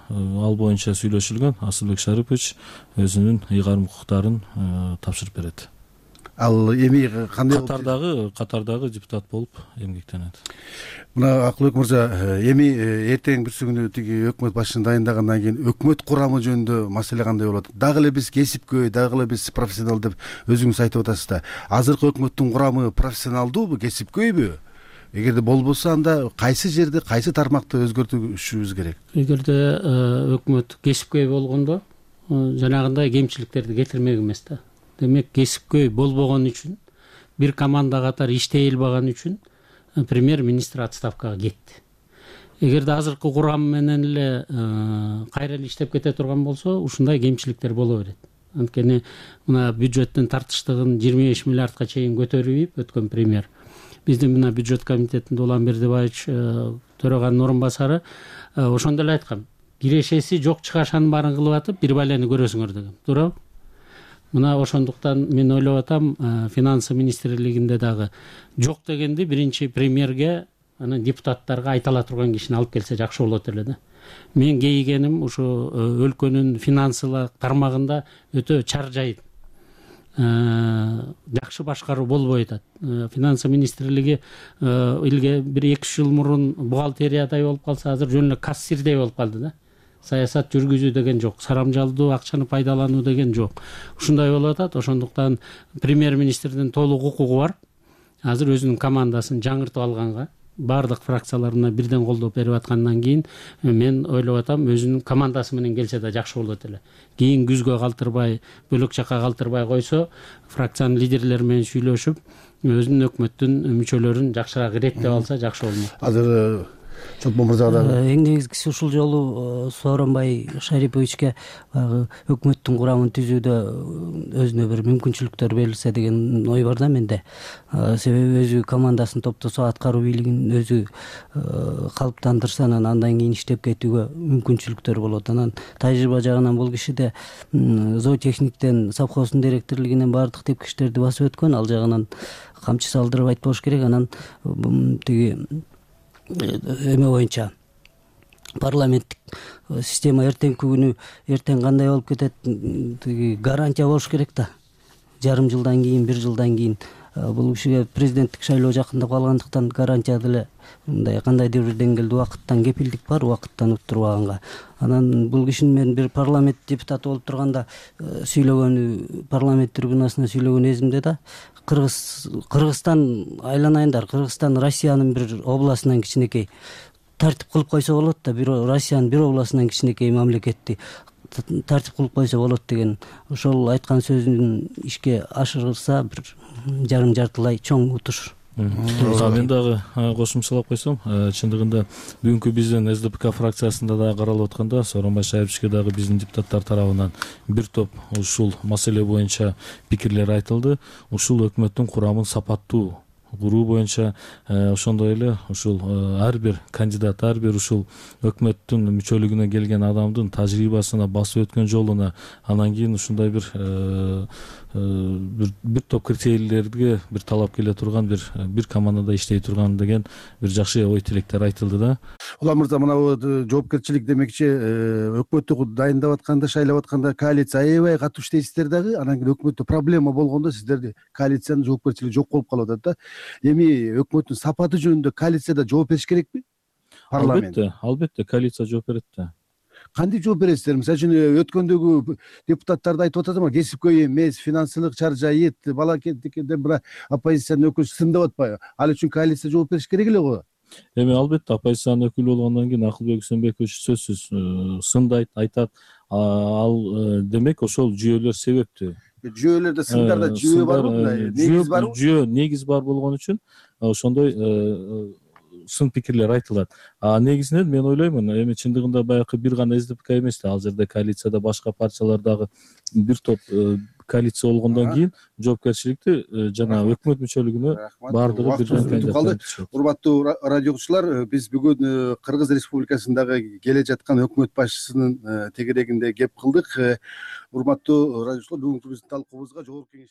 Speaker 5: ал боюнча сүйлөшүлгөн. Асылбек Шарипович өзүнүн ыйгарым укуктарын тапшырып берет.
Speaker 2: Ал эми кандай
Speaker 5: катардагы депутат болуп эмгектенет.
Speaker 2: Мына Акылбек мырза, эми эртең бүрсү күнү тиги өкмөт башчысын дайындагандан кийин өкмөт курамы жөнүндө маселе кандай болот? Дагы эле биз кесипкөй, дагы эле биз профессионал деп өзүңүз айтып атасыз да. Азыркы өкмөттүн курамы профессионалдуубу, кесипкөйбү? Эгерде болбосо, анда кайсы жерде, кайсы тармакты өзгөртүшүбүз керек?
Speaker 23: Эгерде өкмөт кесипкөй болгондо жанагындай кемчиликтерди кетирмек эмес да. Демек, кесипкөй болбогон үчүн, бир команда катары иштей албаган үчүн премьер-министр отставкага кетти. Эгерде азыркы курам менен эле кайра эле иштеп кете турган болсо, ушундай кемчиликтер боло берет. Анткени мына бюджеттин тартыштыгын 25 миллиардка чейин көтөрүп өткөн премьер. Биздин мына бюджет комитетинде Улан Бердибаевич төраганын орун басары ошондо эле айткан. Кирешеси жок чыгашанын баарын кылып атып, бир балени көрөсүңөр деген. Туурабы? Мына ошондуктан мен ойлоп атам, финансы министрлигинде дагы жок дегенди биринчи премьерге, анан депутаттарга айта ала турган кишини алып келсе жакшы болот эле да. Мен кейигеним ушу өлкөнүн финансылык тармагында өтө чаржайт, жакшы башкаруу болбой атат. Финансы министрлиги илге бир 2 жыл мурун бухгалтериядай болуп калса, азыр жөн эле кассирдей болуп калды да. Саясат жүргүзүү деген жок, сарамжалдуу акчаны пайдалануу деген жок. Ушундай болуп атат. Ошондуктан премьер-министрдин толук укугу бар. Азыр өзүнүн командасын жаңыртып алганга, баардык фракцияларына бирден колдоо берип аткандан кийин мен ойлоп атам, өзүнүн командасы менен келсе да жакшы болот эле. Кийин күзгө калтырбай, бөлөк жакка калтырбай койсо, фракциянын лидерлери менен сүйлөшүп, өзүнүн өкмөттүн мүчөлөрүн жакшыраак иреттеп алса жакшы болмок.
Speaker 2: Азыр Чолпон мырза дагы
Speaker 9: эң негизгиси ушул жолу Сооронбай Шариповичке өкмөттүн курамын түзүүдө өзүнө бир мүмкүнчүлүктөр берилсе деген ой бар да менде. Себеби өзү командасын топтосо, аткаруу бийлигин өзү калыптандырса, андан кийин иштеп кетүүгө мүмкүнчүлүктөр болот. Анан тажрыйба жагынан бул кишиде зоотехниктен, совхоздун директорлугунан баардык тепкичтерди басып өткөн, ал жагынан камчы салдырып айтпош керек. Анан тиги эме боюнча парламенттик система эртеңки күнү эртең кандай болуп кетет, тиги гарантия болуш керек да. Жарым жылдан кийин, 1 жылдан кийин бул кишиге президенттик шайлоо жакындап калгандыктан гарантия деле мындай кандайдыр бир деңгээлде убакыттан кепилдик бар, убакыттан уттурбаганга. Анан бул кишинин мен бир парламент депутаты болуп турганда сүйлөгөнү, парламент трибунасына сүйлөгөн эзимде да. Кыргызстан айланайындар, Кыргызстан Россиянын бир областынан кичинекей тартип кылып койсо болот да, бир Россиянын бир областынан кичинекей мамлекетти тартип кылып койсо болот деген ошол айткан сөзүн ишке ашырса бир жарым-жартылай чоң утуш.
Speaker 5: Мен дагы кошумчалап койсом, чындыгында бүгүнкү биздин СДПК фракциясында дагы каралып атканда Сооронбай Шариповичке дагы биздин депутаттар тарабынан бир топ ушул маселе боюнча пикирлер айтылды. Ушул өкмөттүн курамын сапаттуу куруу боюнча ошондой эле ушул ар бир кандидат, ар бир ушул өкмөттүн мүчөлүгүнө келген адамдын тажрыйбасына, басып өткөн жолуна, анан кийин ушундай бир бир топ критерийлерге бир талап келе турган бир командада иштей турган деген бир жакшы ой тилектер айтылды да.
Speaker 2: Улан мырза, мына жоопкерчилик демекчи өкмөттү дайындап атканда, шайлап атканда коалиция аябай катуу иштейсиздер дагы, анан кийин өкмөттө проблема болгондо сиздерди коалициянын жоопкерчилиги жок болуп калып атат да. Эми өкмөттүн сапаты жөнүндө коалицияда жооп бериш керекпи? Парламент.
Speaker 5: Албетте коалиция жооп берет да.
Speaker 2: Кантип жооп бересиздер? Мисалы үчүн өткөндөгү депутаттар да айтып атат да, кесипкөй эмес, финансылык чаржайыт, балакенден бир оппозициянын өкүлү сындап атпайбы? Ал үчүн коалиция жооп бериш керек эле го.
Speaker 5: Эми албетте оппозициянын өкүлү болгондон кийин Акылбек Үсөнбекович сөзсүз сындайт, айтат. Ал демек ошол жүйөлөр себептүү.
Speaker 2: Жүйөлөрдө сындарда жүйө барбы? Негиз барбы?
Speaker 5: Жүйө негиз бар болгон үчүн ошондой сын пикирлер айтылат. Негизинен мен ойлоймун, эми чындыгында баягы бир гана СДПК эмес да, ал жерде коалицияда башка партиялар дагы бир топ коалиция болгондон кийин жоопкерчиликти жана өкмөт мүчөлүгүнө баардыгы бирден
Speaker 2: калды. Урматтуу радио угуучулар, биз бүгүн Кыргыз Республикасындагы келе жаткан өкмөт башчысынын тегерегинде кеп кылдык. Урматтуу радио угуучулар, бүгүнкү биздин талкуубузга жогорку кеңеш